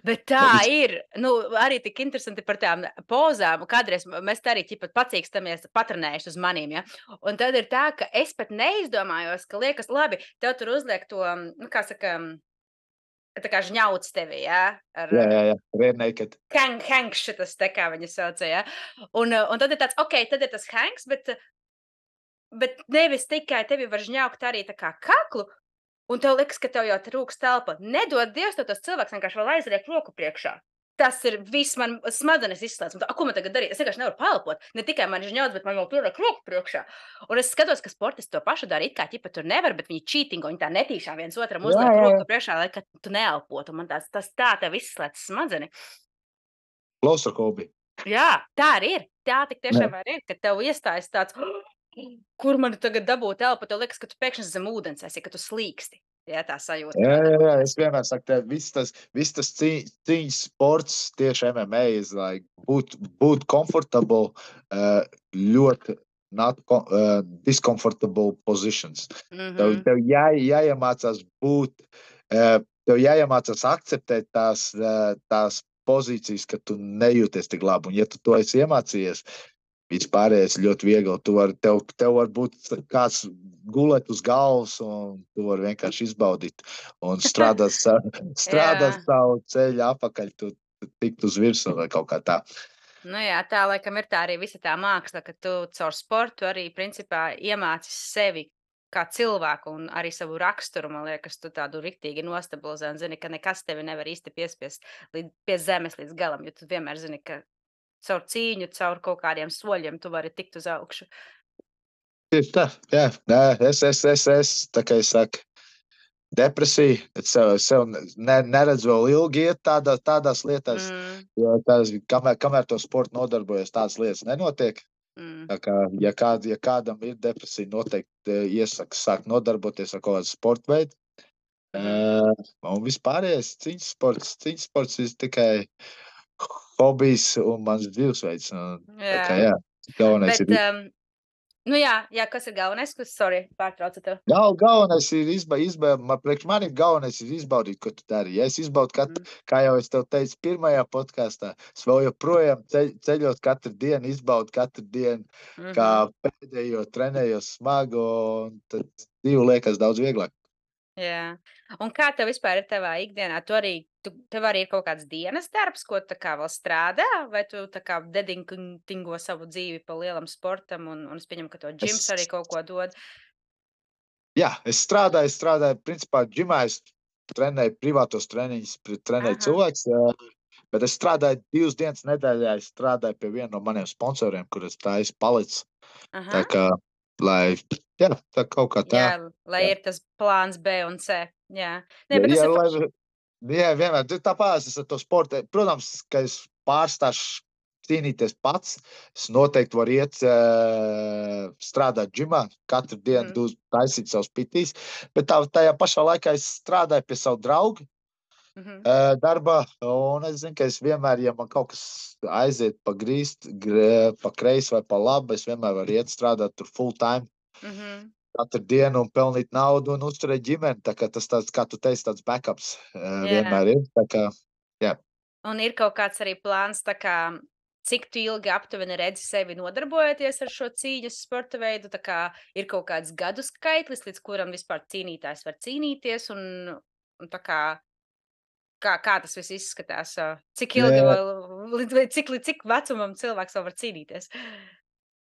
Bet tā ir. Nu, arī tik interesanti par tām pozām. Kādreiz mēs tā arī ķipat pacīkstamies, patrenējuši uz manīm, ja? Un tad ir tā, ka es pat neizdomājos, ka liekas, labi, tev tur uzliek to, nu, kā saka, tā kā žņauts tevi, ja? Ar, Jā, jā, jā, rear naked. hang, hanks šitas, te kā viņi sauca, ja? Un, un tad ir tāds, ok, tad ir tas hanks, bet, bet nevis tikai tevi var žņaukt arī tā kā kaklu, un tev liekas, ka tev jau trūks telpa. Nedod Dievs, tev tas cilvēks vienkārši vēl aizliek roku priekšā. Tas ir viss, man smadzenes izslēdz. Un tā, ko man tagad darīt? Es vienkārši nevaru pelpot. Ne tikai man žņauts, bet man vēl pieliek roku priekšā. Un es skatos, ka sportisti to pašu dara. It kā ķipa tur nevar, bet viņi čītingo, viņi tā netīšā viens otram Jā, uzliek jā, jā. roku priekšā, lai ka tu neelpotu. Man tās, tas tā tev izslēdz smadzeni. Klaustrofobija. Jā, tā arī ir. Tā tik tiešām arī ir, ka tev iestājas tāds, kur man tagad dabūt elpu, tev liekas, ka tu pēkšņi zem ūdens esi, ka tu slīksti. Jā, tā sajūta. Jā, kāda jā, jā, rodas. es vienmēr saku, tev viss tas, viss tas cī- cīņas sports tieši M M A ir, like, būt, būt comfortable, uh, ļoti not co- uh, discomfortable positions. Tev, Mhm. tev jā, jāiemācās būt, uh, tev jāiemācās akceptēt tās, uh, tās pozīcijas, ka tu nejūties tik labi. Un ja tu to esi iemācījies, vispārējais ļoti viegli. Tu var, tev, tev var būt kāds gulēt uz galvas, un tu vari vienkārši izbaudīt un strādāt, sa- strādāt Jā. savu ceļu apakaļ, tu, tu tikt uz virsmu vai kaut kā tā. Nu jā, tā laikam ir tā arī visa tā māksla, ka tu caur sportu arī principā iemācis sevi kā cilvēku un arī savu raksturu, man liekas, tu tādu riktīgi nostabilizē un zini, ka nekas tevi nevar īsti piespiest līdz, pie zemes līdz galam, jo tu vienmēr zini, ka caur cīņu, caur kaut kādiem soļiem tu vari tikt uz augšu. Tieši tā, jā. Nē, es, es, es, es, tā kā es saku, depresija, es sev, sev ne, neredzu vēl ilgi iet tādā, tādās lietās, Mm, jo tās, kamēr, kamēr to sportu nodarbojas, tādas lietas nenotiek. mm. Tā kā, ja, kād, ja kādam ir depresija, noteikti eh, iesaka sākt nodarboties ar kaut kādu sporta veidu. Mhm. Uh, un vispārējais cīņas sports, cīņas sports ir tikai hobijs un mans dzīvesveids. Un, tā kā, Jā. jā, galvenais Bet, ir, um, nu jā, jā, kas ir galvenais, kas, sorry, pārtraucu tev. gal, galvenais ir izba, izba, man, priekš manim galvenais ir izbaudīt, ko tu dari. Ja es izbaudu katru, Mm. kā jau es tev teicu pirmajā podkāstā, es vēl joprojām ceļ, ceļot katru dienu, izbaudu katru dienu, Mhm. kā pēdējo trenējos smagu, un tad dzīve liekas daudz vieglāk. Jā. Un kā tev vispār ir tavā ikdienā? Tu arī, tu, tev arī ir kaut kāds dienas darbs, ko tu tā kā vēl strādā, vai tu tā kā dedingo savu dzīvi pa lielam sportam, un, un es pieņemu, ka to džims Es- arī kaut ko dod. Jā, es strādāju, es strādāju, principā, džimā es trenēju privātos treniņus, pri- trenēju Aha. cilvēks, jā, bet es strādāju divas dienas nedēļā, es strādāju pie viena no maniem sponsoriem, kur es tā esmu palicis. Aha. Tā kā, lai, jā, tā kaut kā tā. Jā, lai jā. ir tas plāns B un C. Jā, Nē, Jā, bet tas jā, ir. fa- lai, jā, vienmēr, tu tāpēc es ar to sportu, protams, ka es pārstāšu cīnīties pats, es noteikti varu iet uh, strādāt džimā, katru dienu Mhm. mm. taisīt savus pitīs, bet tā, tajā pašā laikā es strādāju pie savu draugu Mhm. uh, darbā, un es zinu, ka es vienmēr, ja man kaut kas aiziet pa grīst, gr, pa kreisi vai pa labi, es vienmēr varu iet strādāt tur full time Mhm. katru dienu un pelnīt naudu un uzturēt ģimeni. Tā kā tas tāds, kā tu teici, tāds backups uh, Jā. vienmēr ir. Tā kā, jā. Un ir kaut kāds arī plāns, tā kā, cik tu ilgi aptuveni redzi sevi nodarbojoties ar šo cīņas sporta veidu? Tā kā ir kaut kāds gadu skaitlis, līdz kuram vispār cīnītājs var cīnīties, un, un tā kā, kā, kā tas viss izskatās? ā, Cik ilgi Jā. vēl, līdz, vai cik, līdz cik vecumam cilvēks vēl var cīnīties?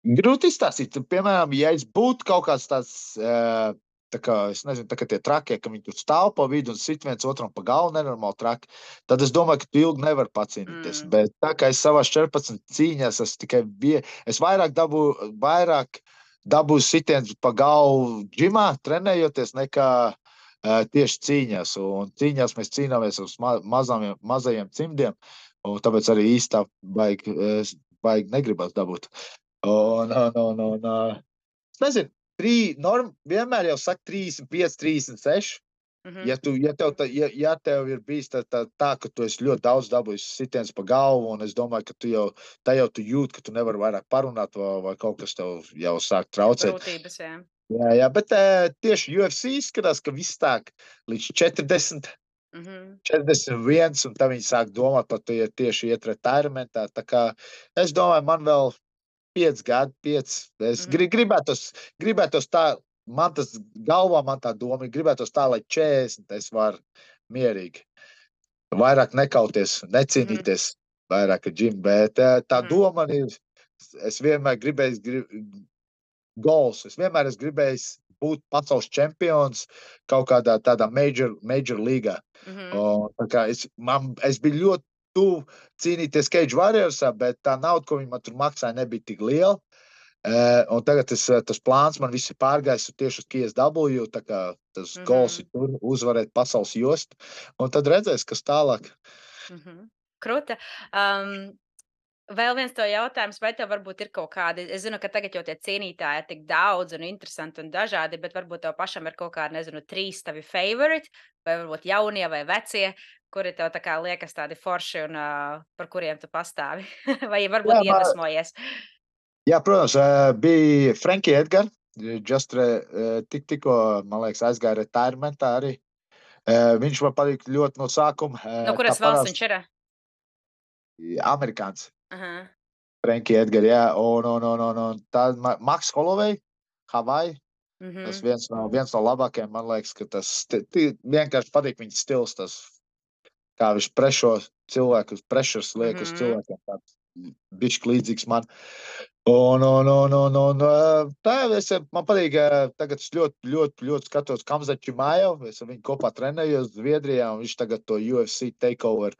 Grūti izstāstīt. Piemēram, ja es būtu kaut kāds tāds, uh, tā kā, es nezinu, tā kā tie trakie, ka viņi tur stāv pa vidu un sit viens otram pa galvu nenormāli traki, tad es domāju, ka tu ilgi nevar pacīnīties. Mm. Bet tā kā es savās četrpadsmit cīņās, es tikai vie, es vairāk dabū, vairāk dabūs sitiens pa galvu džimā, trenējoties, nekā uh, tieši cīņās. Un cīņās mēs cīnāmies uz ma mazām, mazajiem cimdiem, un tāpēc arī īstā baigi, baigi negribas dabūt. Un, un, un, un, uh, es nezinu, trī, norm, vienmēr jau saka trīsdesmit pieci, trīsdesmit seši. Mm -hmm. ja, tu, ja, tev, tā, ja, ja tev ir bijis tā, tā, tā, ka tu esi ļoti daudz dabūjis sitiens pa galvu, un es domāju, ka tu jau, tā jau tu jūt, ka tu nevari vairāk parunāt, vai, vai kaut kas tev jau sāk traucēt. Grūtības, jā. Jā, jā, bet uh, tieši U F C izskatās, ka viss tāk līdz četrdesmit, mm -hmm. četrdesmit viens, un tā viņi sāk domāt par to, ja tieši iet retairementā. Tā kā es domāju, man vēl pieci gadi, pieci. Es mm -hmm. gribētos, gribētos tā, man tas galvā, man tā doma, gribētos tā, lai četrdesmit es varu mierīgi. Vairāk nekauties, necīnīties, mm -hmm. vairāk ar džim, bet tā mm -hmm. doma man ir, es vienmēr gribēju, grib, goals, es vienmēr esmu gribējis būt pasaules čempions kaut kādā tādā major, major līgā. Mm -hmm. Un, tā kā es, man, es biju ļoti tuvu cīnīties Cage Warriorsā, bet tā nauda, ko viņi man tur maksāja, nebija tik liela. Uh, un tagad tas, tas plāns man viss ir pārgājis tieši uz K S W, tā kā tas mm -hmm. goals ir tur uzvarēt pasaules jostu, un tad redzēs, kas tālāk. Mm -hmm. Kruta. Um, vēl viens to jautājums, vai tev varbūt ir kaut kādi, es zinu, ka tagad jau tie cīnītāji ir tik daudz un interesanti un dažādi, bet varbūt tev pašam ir kaut kādi, nezinu, trīs tavi favorite, vai varbūt jaunie vai vecie, kuri tev tā kā liekas tādi forši un uh, par kuriem tu pastāvi, vai varbūt jā, iedvesmojies? Jā, protams, bija Frankie Edgar, just tik, tikko, man liekas, aizgāja retairementā arī. Viņš man patīk ļoti no sākuma. No kuras valsts viņš ir? Amerikāns. Uh -huh. Frankie Edgar, jā, un, un, un, un, un tā Max Holloway, Hawaii. Mm -hmm. Tas viens no, viens no labākajiem, man liekas, ka tas vienkārši patīk viņa stils, tas, kā viņš prešo cilvēkus, prešers liek mm -hmm. uz cilvēkiem, tāds bišķi līdzīgs man. Un, un, un, un, un tā, es, man patīk, tagad es ļoti, ļoti, ļoti skatos Khamzat Chimaev, es ar viņu kopā trenējos Zviedrijā, un viņš tagad to U F C takeover,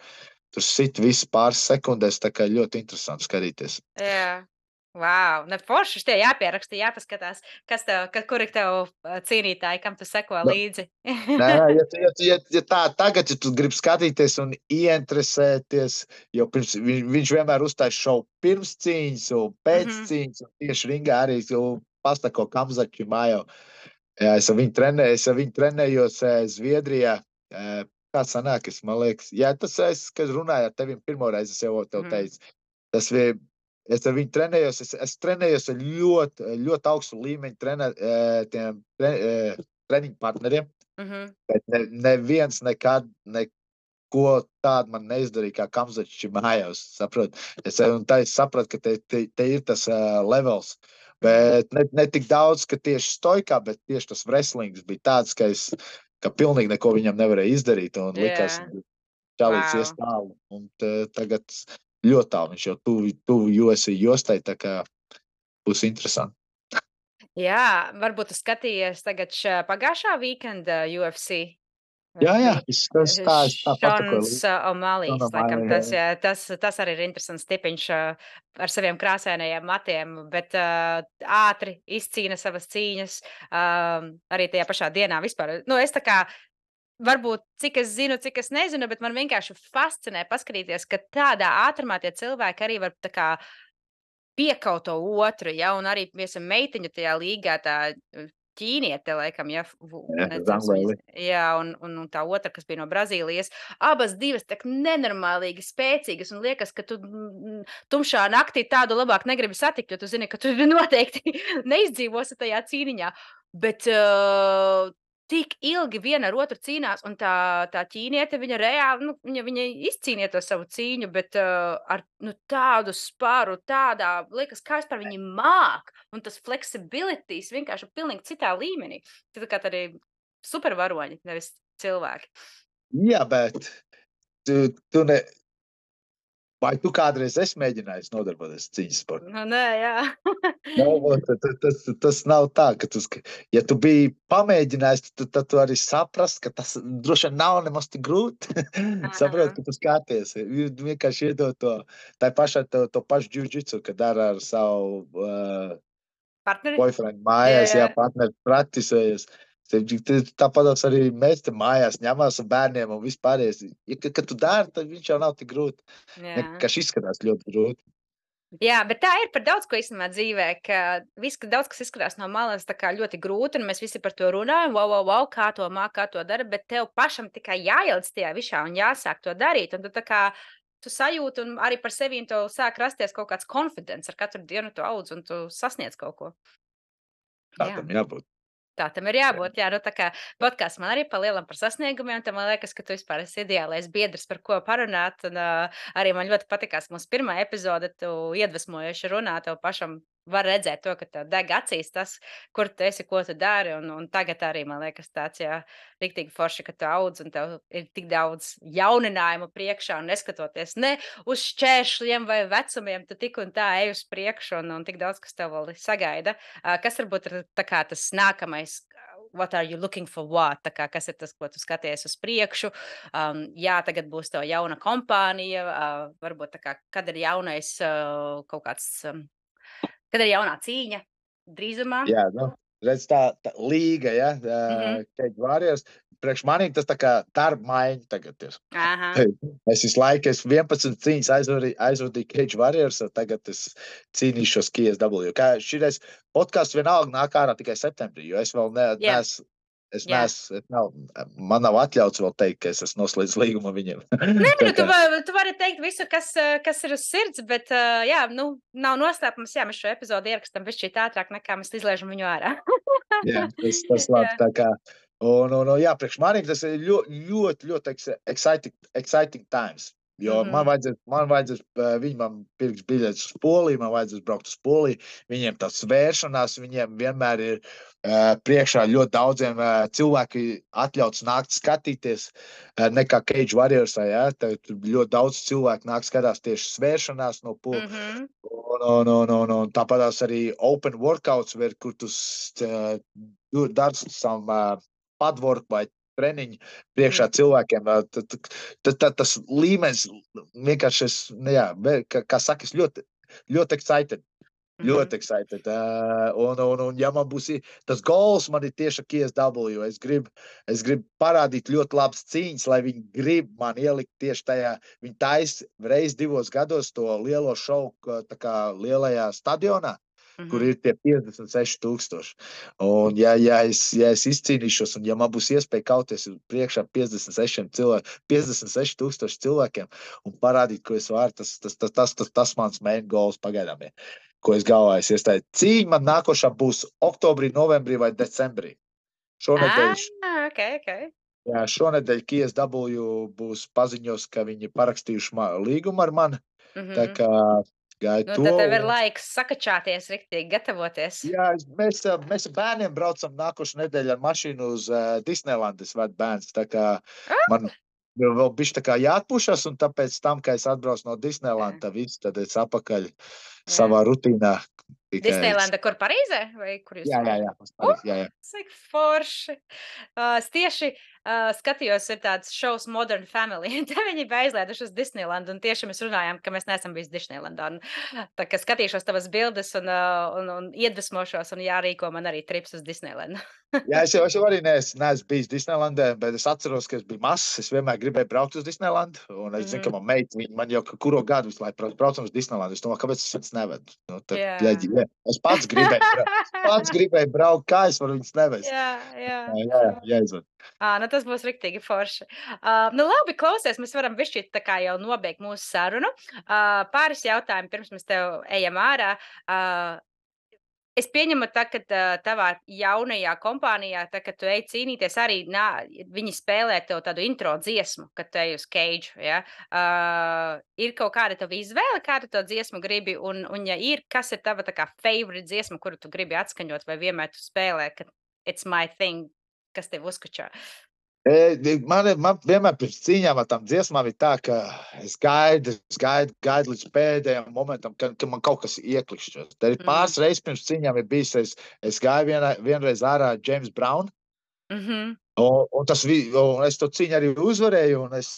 tur sit visu pāris sekundēs, tā kā ļoti interesanti skatīties. Jā, wow, ne forši, tie jāpieraksta, jāpaskatās, kas tev, ka, kur ir tev cīnītāji, kam tu seko līdzi. Nē, nē, ja, ja, ja, ja tā tagad, ja tu gribi skatīties un ieinteresēties, jo pirms, viņš, viņš vienmēr uztais šovu pirms cīņas un pēc mm -hmm. cīņas, un tieši ringā arī pastako Khamzat Chimaev. Jā, es ar viņu trenēju, es ar viņu trenējos Zviedrijā. Kā sanāk, es, man liekas, jā, tas es, kad runāju ar tevim pirmoreiz, es jau tev teicu, mm -hmm. tas bija, es ar viņu trenējos, es, es trenējos ar ļoti, ļoti augstu līmeņu trenē, tiem tre, treniņu partneriem, mm -hmm. bet ne, neviens nekad, neko tādu man neizdarīja, kā Khamzat Chimaevs, saprot. Es, un tā es sapratu, ka te, te, te ir tas uh, levels, bet ne, ne tik daudz, ka tieši stoikā, bet tieši tas wrestlings bija tāds, ka es, ka pilnīgi neko viņam nevarēja izdarīt, un likās, yeah. čalīts wow. ies tālu, un t, tagad ļoti tālu, viņš jau tuvu, tuvu U F C jostai, tā kā būs interesanti. Jā, varbūt tu skatījies tagad šā pagājušā weekenda U F C. Jā, jā, tas, tas tā, es tā pasakoju. Šons O'Malley's, laikam, tas, jā, tas, tas arī ir interesants tipiņš ar saviem krāsainajiem matiem, bet uh, ātri izcīna savas cīņas um, arī tajā pašā dienā vispār. Nu, es tā kā, varbūt, cik es zinu, cik es nezinu, bet man vienkārši fascinē paskatīties, ka tādā ātrumā tie cilvēki arī var tā kā piekaut to otru, ja, un arī, piemēram, meitiņu tajā līgā tā ķīniete, laikam, ja, jā, jā un, un, un tā otra, kas bija no Brazīlijas, abas divas tak nenormālīgi spēcīgas, un liekas, ka tu tumšā naktī tādu labāk negribi satikt, jo tu zini, ka tu noteikti neizdzīvosi tajā cīniņā, bet uh, tik ilgi viena ar otru cīnās, un tā, tā ķīniete, viņa reāli, nu, viņa, viņa izcīnīja to savu cīņu, bet uh, ar nu, tādu sparu, tādā, liekas, kā vispār viņi māk, un tas flexibilities vienkārši pilnīgi citā līmenī. Tā kā arī supervaroņi, nevis cilvēki. Jā, bet tu, tu ne... Vai tu kādreiz esi mēģinājis nodarboties cīņas sportā? Nu, nē, jā. no, tas, tas, tas nav tā, ka tu, ja tu biji pamēģinājis, tad tu, tu arī saprast, ka tas droši vien nav nemaz tik grūti. Saprot, ka tu skaties. Vienkārši iedod to, tā pašā to, to pašu jiu-jitsu, kad dara ar savu uh, Partneri? boyfriend Jā, mājās, jā, jā. partneri praktisējas. Tāpat arī mēs te mājās ņemās ar bērniem un vispārējais. Ja, kad, kad tu dari, tad viņš jau nav tik grūti. Jā. Vienkārši izskatās ļoti grūti. Jā, bet tā ir par daudz ko īstenībā dzīvē, ka viss, ka daudz kas izskatās no malas tā kā ļoti grūti, un mēs visi par to runājam, wow, wow, wow, kā to māk, kā to dara, bet tev pašam tikai jāielic tajā visā un jāsāk to darīt, un tu tā kā tu sajūti, un arī par sevi un tev sāk rasties kaut kāds confidence, ar katru dienu tu audz, un tu sasniedz kaut ko. Tā Jā. tam jābūt. Tā tam ir jābūt. Jā, nu tā kā podkāsts man arī palielam par sasniegumiem, tad man liekas, ka tu vispār esi ideālais biedrs, par ko parunāt. Un, uh, arī man ļoti patikās mūsu pirmā epizode, tu iedvesmojoši runā, tev pašam var redzēt to, ka tev deg acīs tas, kur tu esi, ko tu dari. Un, un tagad arī man liekas tāds, jā, riktīgi forši, ka tu audz un tev ir tik daudz jauninājumu priekšā un neskatoties ne uz šķēršļiem vai vecumiem, tu tik un tā ej uz priekšu un, un tik daudz, kas tev vēl sagaida. Uh, kas varbūt ir tā kā tas nākamais? What are you looking for what? Tā kā, kas ir tas, ko tu skaties uz priekšu? Um, jā, tagad būs tev jauna kompānija, uh, varbūt tā kā, kad ir jaunais uh, kaut kāds, um, kad ir jaunā cīņa drīzumā? Jā, nu, redz tā, tā līga, ja, Mhm. Cage Warriors. Priekš manī tas tā kā darba maiņa tagad ir. Aha. Es visu laiku, es vienpadsmit cīņas aizvadīju, aizvadīju Cage Warriors, un tagad es cīnīšos K S W. Kā šitais podcasts vienalga nāk ārā tikai septembrī, jo es vēl ne, Jā. nes, es Jā. nes, es nav, man nav atļauts vēl teikt, ka es esmu noslēdz līgumu viņiem. Nē, Tā nu, tu, kā- va- tu vari teikt visu, kas, uh, kas ir uz sirds, bet, uh, jā, nu, nav noslēpums, jā, mēs šo epizodu ierakstam bišķīt ātrāk, nekā mēs izlaižam viņu ārā. Jā, tas, tas labi. Jā. Tā kā, un, un, un, jā, priekš manī tas ir ļoti, ļoti, ļoti ex- exciting, exciting times. Jo Mhm. man vajadzēs, man vajadzēs, eh, viņi man pirks biļetes uz Poliju, man vajadzēs braukt uz Poliju. Viņiem tas vēršanās, viņiem vienmēr ir uh, priekšā ļoti daudziem uh, cilvēki atļauts nākt skatīties, uh, nekā Cage Warriors, ja? Tad ļoti daudz cilvēku nāk skatās tieši svēršanās no Polijas. Mhm. Un, un, un, un, un tāpatās arī open workouts, var, kur tu uh, dari savu uh, padwork vai treniņu priekšā cilvēkiem. uh, tad- tad- tad- tad Tas līmenis vienkārši, es, nu jā, ve- kā, kā saka, es ļoti, ļoti excited. Ļoti excited. Uh, un, un, un, ja man būs i- tas goals, man ir tieši ar K S W. Es gribu es gribu parādīt ļoti labas cīņas, lai viņi grib man ielikt tieši tajā. Viņi taisa reiz divos gados to lielo šovu ka- tā kā lielajā stadionā, Mhm. kur ir tie piecdesmit seši tūkstoši. Un, ja, ja, es, ja es izcīnīšos, un ja man būs iespēja kauties priekšā piecdesmit sešiem cilvēkiem, piecdesmit seši tūkstoši cilvēkiem un parādīt, ko es varu, tas, tas, tas, tas, tas, tas mans main goals pagaidām ir, ko es galvā es iestāju. Cīņa man nākošā būs oktobrī, novembrī vai decembrī. Šonedēļ, Ah, ok, ok. jā, šonedēļ K S W būs paziņos, ka viņi parakstījuši ma- līgumu ar mani. Mhm. Tā kā gaidu Nu, to. tad tev ir un- laiks sakačāties, riktīgi gatavoties. Jā, es- mēs, ā, mēs ar bērniem braucam nākošu nedēļu ar mašīnu uz uh, Disneylandu. Es vedu bērns. Tā kā man ir vēl bišķi tā kā jāatpušas, un tāpēc tam, ka es atbraucu no Disneylanda, viss, tad es apakaļ savā rutīnā. Tikai- Disneylanda, kur Parīzē? Vai kur jūs? Jā, jā, jā. uz Parīzi, jā, jā. Cik forši. Uh, es tieši uh, skatījos, ir tāds šovs Modern Family. Te viņi bija aizlēduši uz Disneylandu, un tieši mēs runājām, ka mēs neesam bijuši Disneylandā. Un, tā kā skatīšos tavas bildes un, uh, un, un iedvesmošos, un jārīko man arī trips uz Disneylandu. Jā, es jau, es jau arī neesmu, neesmu bijis Disneylandē, bet es atceros, ka es biju mazs. Es vienmēr gribēju braukt uz Disneylandu. Un es zinu, ka Mhm. man meita, viņa man jau kuro gadu visu laiku brauc- braucam uz Disneylandu. Es domāju, kāpēc es viņas nevedu? Nu, tad, Jā. bļaģi, jā. Es pats gribēju braukt. Pats gribēju braukt, kā es varu viņas nevest. Jā, jā. Jā, jā, jāizved. Ā, nu tas būs riktīgi forši. Uh, nu labi, klausies, mēs varam bišķīt tā kā jau nobeigt mūsu sarunu. Uh, pāris jautājumi, pirms mēs tev ejam ārā. Uh, es pieņemu, tā, ka uh, tavā jaunajā kompānijā, tā, kad tu ej cīnīties, arī nā, viņi spēlē tev tādu intro dziesmu, kad tu ej uz Cage. Ja? Uh, ir kaut kāda tava izvēle, kādu to dziesmu gribi, un, un ja ir, kas ir tava tā kā favorite dziesma, kuru tu gribi atskaņot, vai vienmēr tu spēlē, ka it's my thing, kas tev uzskačā? E, Man, ir- man vienmēr pirms cīņām ar tām dziesmām ir tā, ka es gaidu, es gaidu, gaidu līdz pēdējiem momentam, kad, kad man kaut kas ieklikšķos. Tad ir Mhm. pāris reizes pirms cīņām ir bijis, es, es gāju vienā, vienreiz ārā ar James Brown, Mhm. un, un, tas, vi- un es to cīņu arī uzvarēju, un es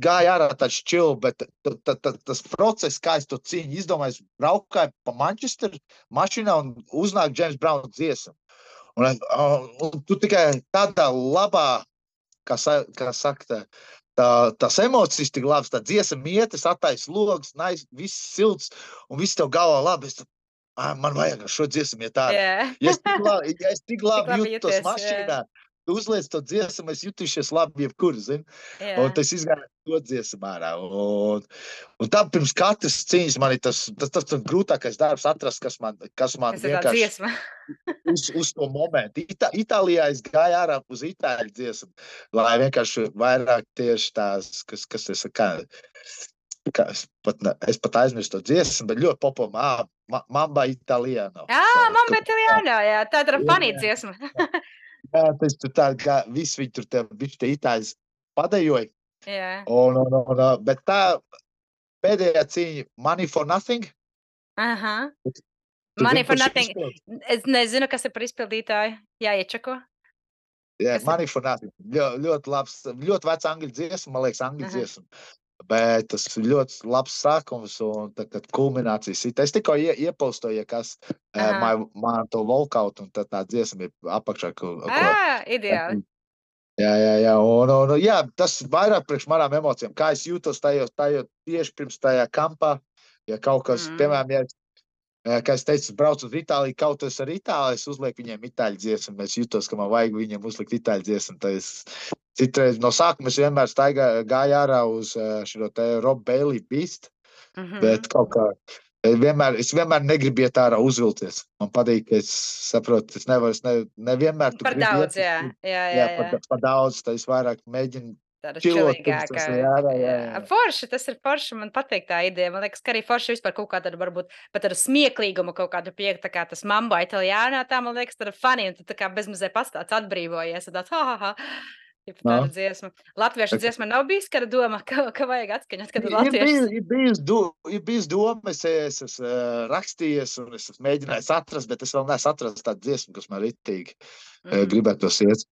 gāja ārā tāds čil, bet t, t, t, tas process, kā es to cīņu izdomāju, es braukāju pa Manchesteru mašīnā un uznāk James Brown dziesmu. Un, un, un tu tikai tādā labā, kā, sa, kā saka, tā, tā, tās emocijas tik labas, tā dziesma mietes, attais logs, nais, viss silts un viss tev galvā labi. Es, ah, man vajag šo dziesmu iet ārā. Yeah. Ja es tik labi, ja es tik labi, labi jūtos jūties, mašīnā, tu uzliec to dziesmu, es jutīšies labi jebkur, zini. Yeah. Un tas izgāja to dziesmu ārā. Un, un tā pirms katras cīņas man ir tas, tas, tas, tas grūtākais darbs atrast, kas man, kas man Kas ir tā vienkārši dziesma? uz, uz to momentu. Ita, Itālijā es gāju ārā uz itāļu dziesmu, lai vienkārši vairāk tieši tās, kas, kas es kā, kā es pat, ne, es pat aizmirstu to dziesmu, bet ļoti populāra ma, Mamba Italiano. Jā, Mamba Italiano, jā, tā ir funny dziesma. Jā, tas tur tā, kā visi viņi tur te, bišķi te itāļus padejoja. Jā. Un, un, un, bet tā pēdējā cīņa Money for Nothing. Aha. Tu Money zini, for kurš Nothing. izpildu? Es nezinu, kas ir par izpildītāju. Jā, iečako. Jā, Kas ir? Money for Nothing. Ļoti, ļoti labs, ļoti vecs angļu dziesma, man liekas, angļu Aha. dziesma. Bet tas ir ļoti labs sākums un tā, kad kulminācijas ir. Es tikko ie, iepaustoju, ja kas uh, man, man to walkout un tad tā dziesma ir apakšā. Ko, Ā, ideāli. Jā, jā, jā. Un, un, jā, tas vairāk priekš manām emocijām. Kā es jūtos tajos, tajos tieši pirms tajā kampā, ja kaut kas, Mm. piemēram, ja kā es teicu, braucu uz Itāliju, kaut kas ar Itāliju, es uzlieku viņiem itāļu dziesmu, es jūtos, ka man vajag viņiem uzlikt itāļu dziesmu. Es citreiz no sākuma es vienmēr staigā, gāju ārā uz šo te Rob Bailey Beast, Mhm. bet kaut kā vienmēr, es vienmēr negribu iet ārā uzvilties. Man patīk, ka es saprotu, es nevaru, es ne, nevienmēr tu Par gribi daudz, iet. jā. Jā, jā, Jā, jā. par, par daudz, tad es vairāk mēģinu Tāda čilot, čilīgākā. pirms tas ir ārā, jā, jā. Forši, tas ir forši, man patīk tā ideja. Man liekas, ka arī forši vispār kaut kāda varbūt pat ar smieklīgumu kaut kādu pieeja, tā kā tas Mambo Italiano, tā man liekas, tāda funny, un tu tā kā bezmazē pastāds atbrīvojies, un tāds, ha, ha, ha. Tipa No. tāda dziesma. Latviešu dziesma nav bijis, kad doma, ka, ka vajag atskaņot, kad ir Ir bijis, latviešu. ir bijis, do, ir bijis doma, es es esmu uh, rakstījies un es esmu mēģinājis atrast, bet es vēl neesmu atrast tādu dziesmu, kas man ritīgi mm. Mhm. gribētu iet.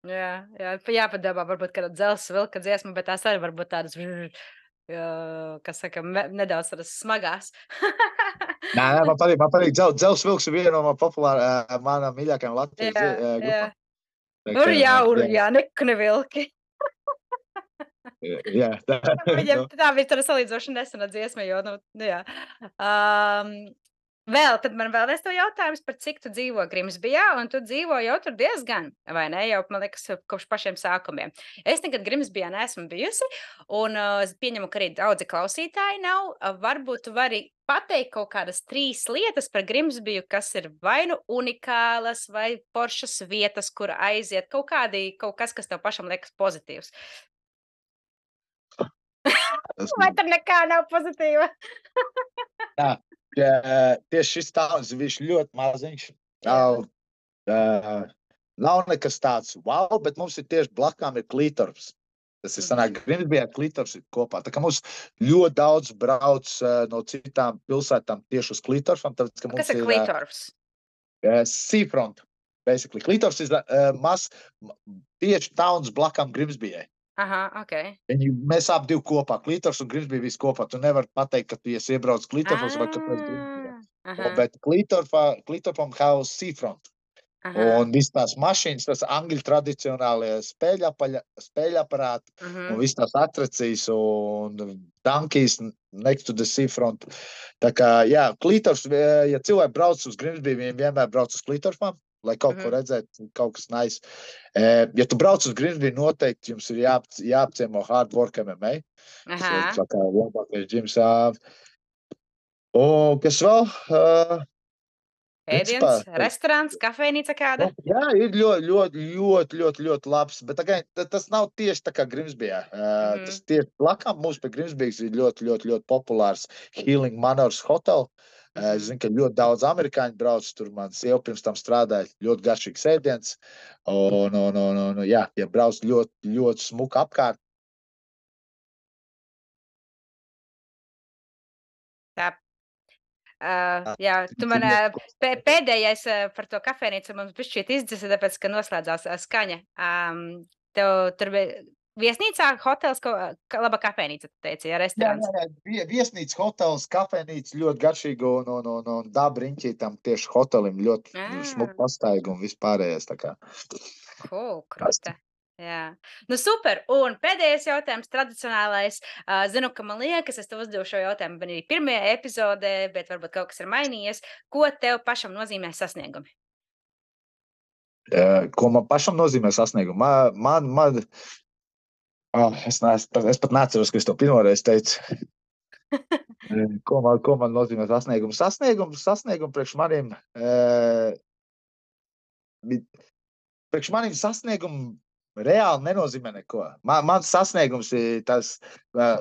Jā, jā, jāpadomā, varbūt kāda dzelzs vilka dziesma, bet tās arī varbūt tādas, jā, kas saka, me, nedaudz tādas smagās. Nē, nē, man patīk, man patīk dzel, dzels vilks ir viena no man populāra, uh, manām mīļākajām Latvijas Jā, uh, jā. grupām. Tā Ur kā, jā, ur jā, jā, nekuni vilki. jā, tā, Viņam nu, tā bija tāda salīdzoši nesena dziesma, jo, nu, nu jā. Um, vēl, tad man vēl es to jautājums par cik tu dzīvo Grimsbijā, un tu dzīvo jau tur diezgan, vai ne, jau, man liekas, kopš pašiem sākumiem. Es nekad Grimsbijā neesmu bijusi, un uh, es pieņemu, ka arī daudzi klausītāji nav. Uh, varbūt tu vari pateikt kaut kādas trīs lietas par Grimsbiju, kas ir vai nu unikālas, vai foršas vietas, kur aiziet, kaut kādi, kaut kas, kas tev pašam liekas pozitīvs. tas, Vai tur nekā nav pozitīva? tā, jā, tieši šis tauns, viņš ļoti maziņš. Jā. Nav, uh, nav nekas tāds wow, bet mums ir tieši blakām ir Klītorps. Tas ir sanāk, Grimsbijā Klītorps ir kopā. Tā kā mums ļoti daudz brauc uh, no citām pilsētām tieši uz Klītorpam. Tāpēc, ka mums Kas ir ir uh, Klītorps? uh, seafront, basically. Klītorps ir uh, maz, tieši tauns blakām Grimsbijai. Aha, ok. Viņi, mēs ap divi kopā, Klītorps un Grimsbija visi kopā. Tu nevar pateikt, ka tu esi iebrauc Klītorpos vai kāpēc Grimsbijā. Ah, aha, Bet Klītorpam jau seafront. aha. Un viss tās mašīnas, tas angļu tradicionālie spēļapaļa, spēļaparāti Mhm. un viss tās atracijas un tankijas next to the seafront. Tā kā, jā, Klītorps, ja cilvēki brauc uz Grimsbiju, viņi vienmēr brauc uz Klītorpam, lai kaut Mhm. ko redzētu, kaut kas nice. Eh, Ja tu brauc uz Grimsbiju, noteikti jums ir jāap, jāapciemo Hard Work M M A. Tas ir Aha. tā kā labākais džims. ā. Un kas vēl? Uh, Ēdiens, principā, restorāns, kafejnīca kāda? Nu, jā, ir ļoti, ļoti, ļoti, ļoti, ļoti labs. Bet again, ta- tas nav tieši tā kā Grimsbijā. Uh, Mhm. Tas tieši blakām mums pie Grimsbijas ir ļoti, ļoti, ļoti populārs Healing Manors Hotel. Uh, Es Mhm. zinu, ka ļoti daudz amerikāņu brauc tur. Man sieva pirms tam strādāja. Ļoti garšīgs ēdiens. Un, un, un, un, jā, ja brauc ļoti, ļoti smuka apkārt. Tā. Uh, Jā, jā, tu man uh, pē- pēdējais uh, par to kafejnīcu mums bišķīt izdzisa, tāpēc, ka noslēdzās uh, skaņa. Um, tev tur bija, viesnīcā, hotels, ko, ka, laba kafejnīca, tu teici, ja, Jā, restorāns. jā, jā. Vie- Viesnīca, hotels, kafejnīca ļoti garšīga un, un, un, un dabriņķī tam tieši hotelim ļoti Ah, smuku pastaigu un vispārējais. Tā kā. cool, Kasti. kruta. Jā, nu super. Un pēdējais jautājums, tradicionālais. Uh, zinu, ka man liekas, es tev uzdevu šo jautājumu arī pirmajā epizodē, bet varbūt kaut kas ir mainījies. Ko tev pašam nozīmē sasniegumi? Eh, Ko man pašam nozīmē sasniegumu? Man, man, man oh, es, neesmu, es pat neatceros, ka es to pirmoreiz teicu. Eh, Ko man, ko man nozīmē sasniegumu? Sasniegumu, sasniegumu priekš maniem. eh, bi- Priekš maniem sasniegumu reāli nenozīmē neko. Man, mans sasniegums ir tas. eh,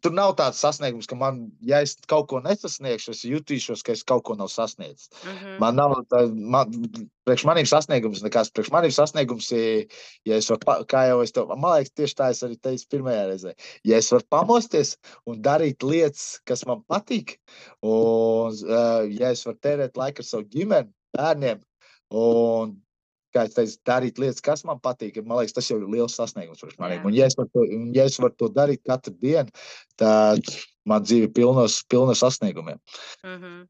Tur nav tāds sasniegums, ka man, ja es kaut ko nesasniegšu, es jutīšos, ka es kaut ko nav sasniedzis. Mhm. Man nav tā, man, priekš maniem sasniegums nekas. Priekš maniem sasniegums ir, ja es varu, pa- kā jau es to, man liekas, tieši tā es arī teicu pirmajā reizē. Ja es varu pamosties un darīt lietas, kas man patīk, un uh, ja es varu tērēt laiku ar savu ģimeni, bērniem, un kā es teicu, darīt lietas, kas man patīk. Man liekas, tas jau ir liels sasniegums priekš maniem. Jā. Un, ja es varu to, un ja es varu to darīt katru dienu, tad man dzīve ir pilna pilna sasniegumiem. Mhm.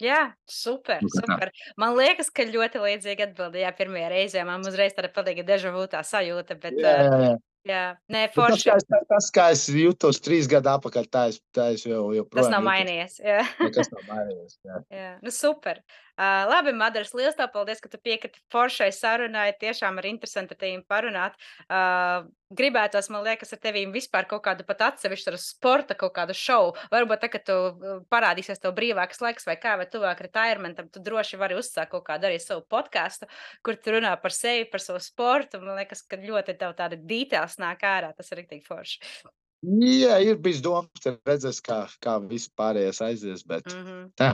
Jā, super, Nu, kā tā. super. Man liekas, ka ļoti līdzīgi atbildējā pirmajā reizē. Man uzreiz tāda patīga deja vu tā sajūta, bet Jā, uh, jā, jā. jā, nē, Bet Tas, forši. kā es, tas, kā es jutos trīs gadu atpakaļ, tā es, tā es jau, Tas joprojām nav jutos. mainījies. Jā. Nekas nav mainījies. Jā. Jā, nu super. Uh, labi, Madars, liels tev paldies, ka tu piekriti foršai sarunai. Tiešām ir interesanti ar tevi parunāt. Uh, gribētos, man liekas, ar tevīm vispār kaut kādu pat atsevišķu ar sporta kaut kādu šovu. Varbūt tā, ka tu uh, parādīsies tev brīvāks laiks vai kā, vai tuvāk retirementam, tu droši vari uzsākt kaut kādu arī savu podcastu, kur tu runā par sevi, par savu sportu. Man liekas, ka ļoti tev tāda details nāk ārā. Tas ir riktīgi forši. Jā, ir bijis domas, redzēs, kā, kā viss pārējais aizies, bet Mhm. tā.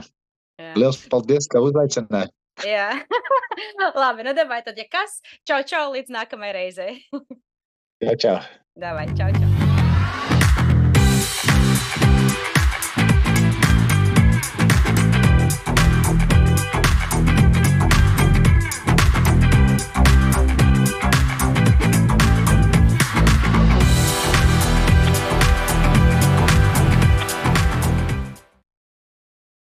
Jā. Liels paldies, ka uzaicināji. Jā. Labi, nu davai tad, ja kas, čau, čau, līdz nākamajai reizei. Jā, čau. Davai, čau, čau.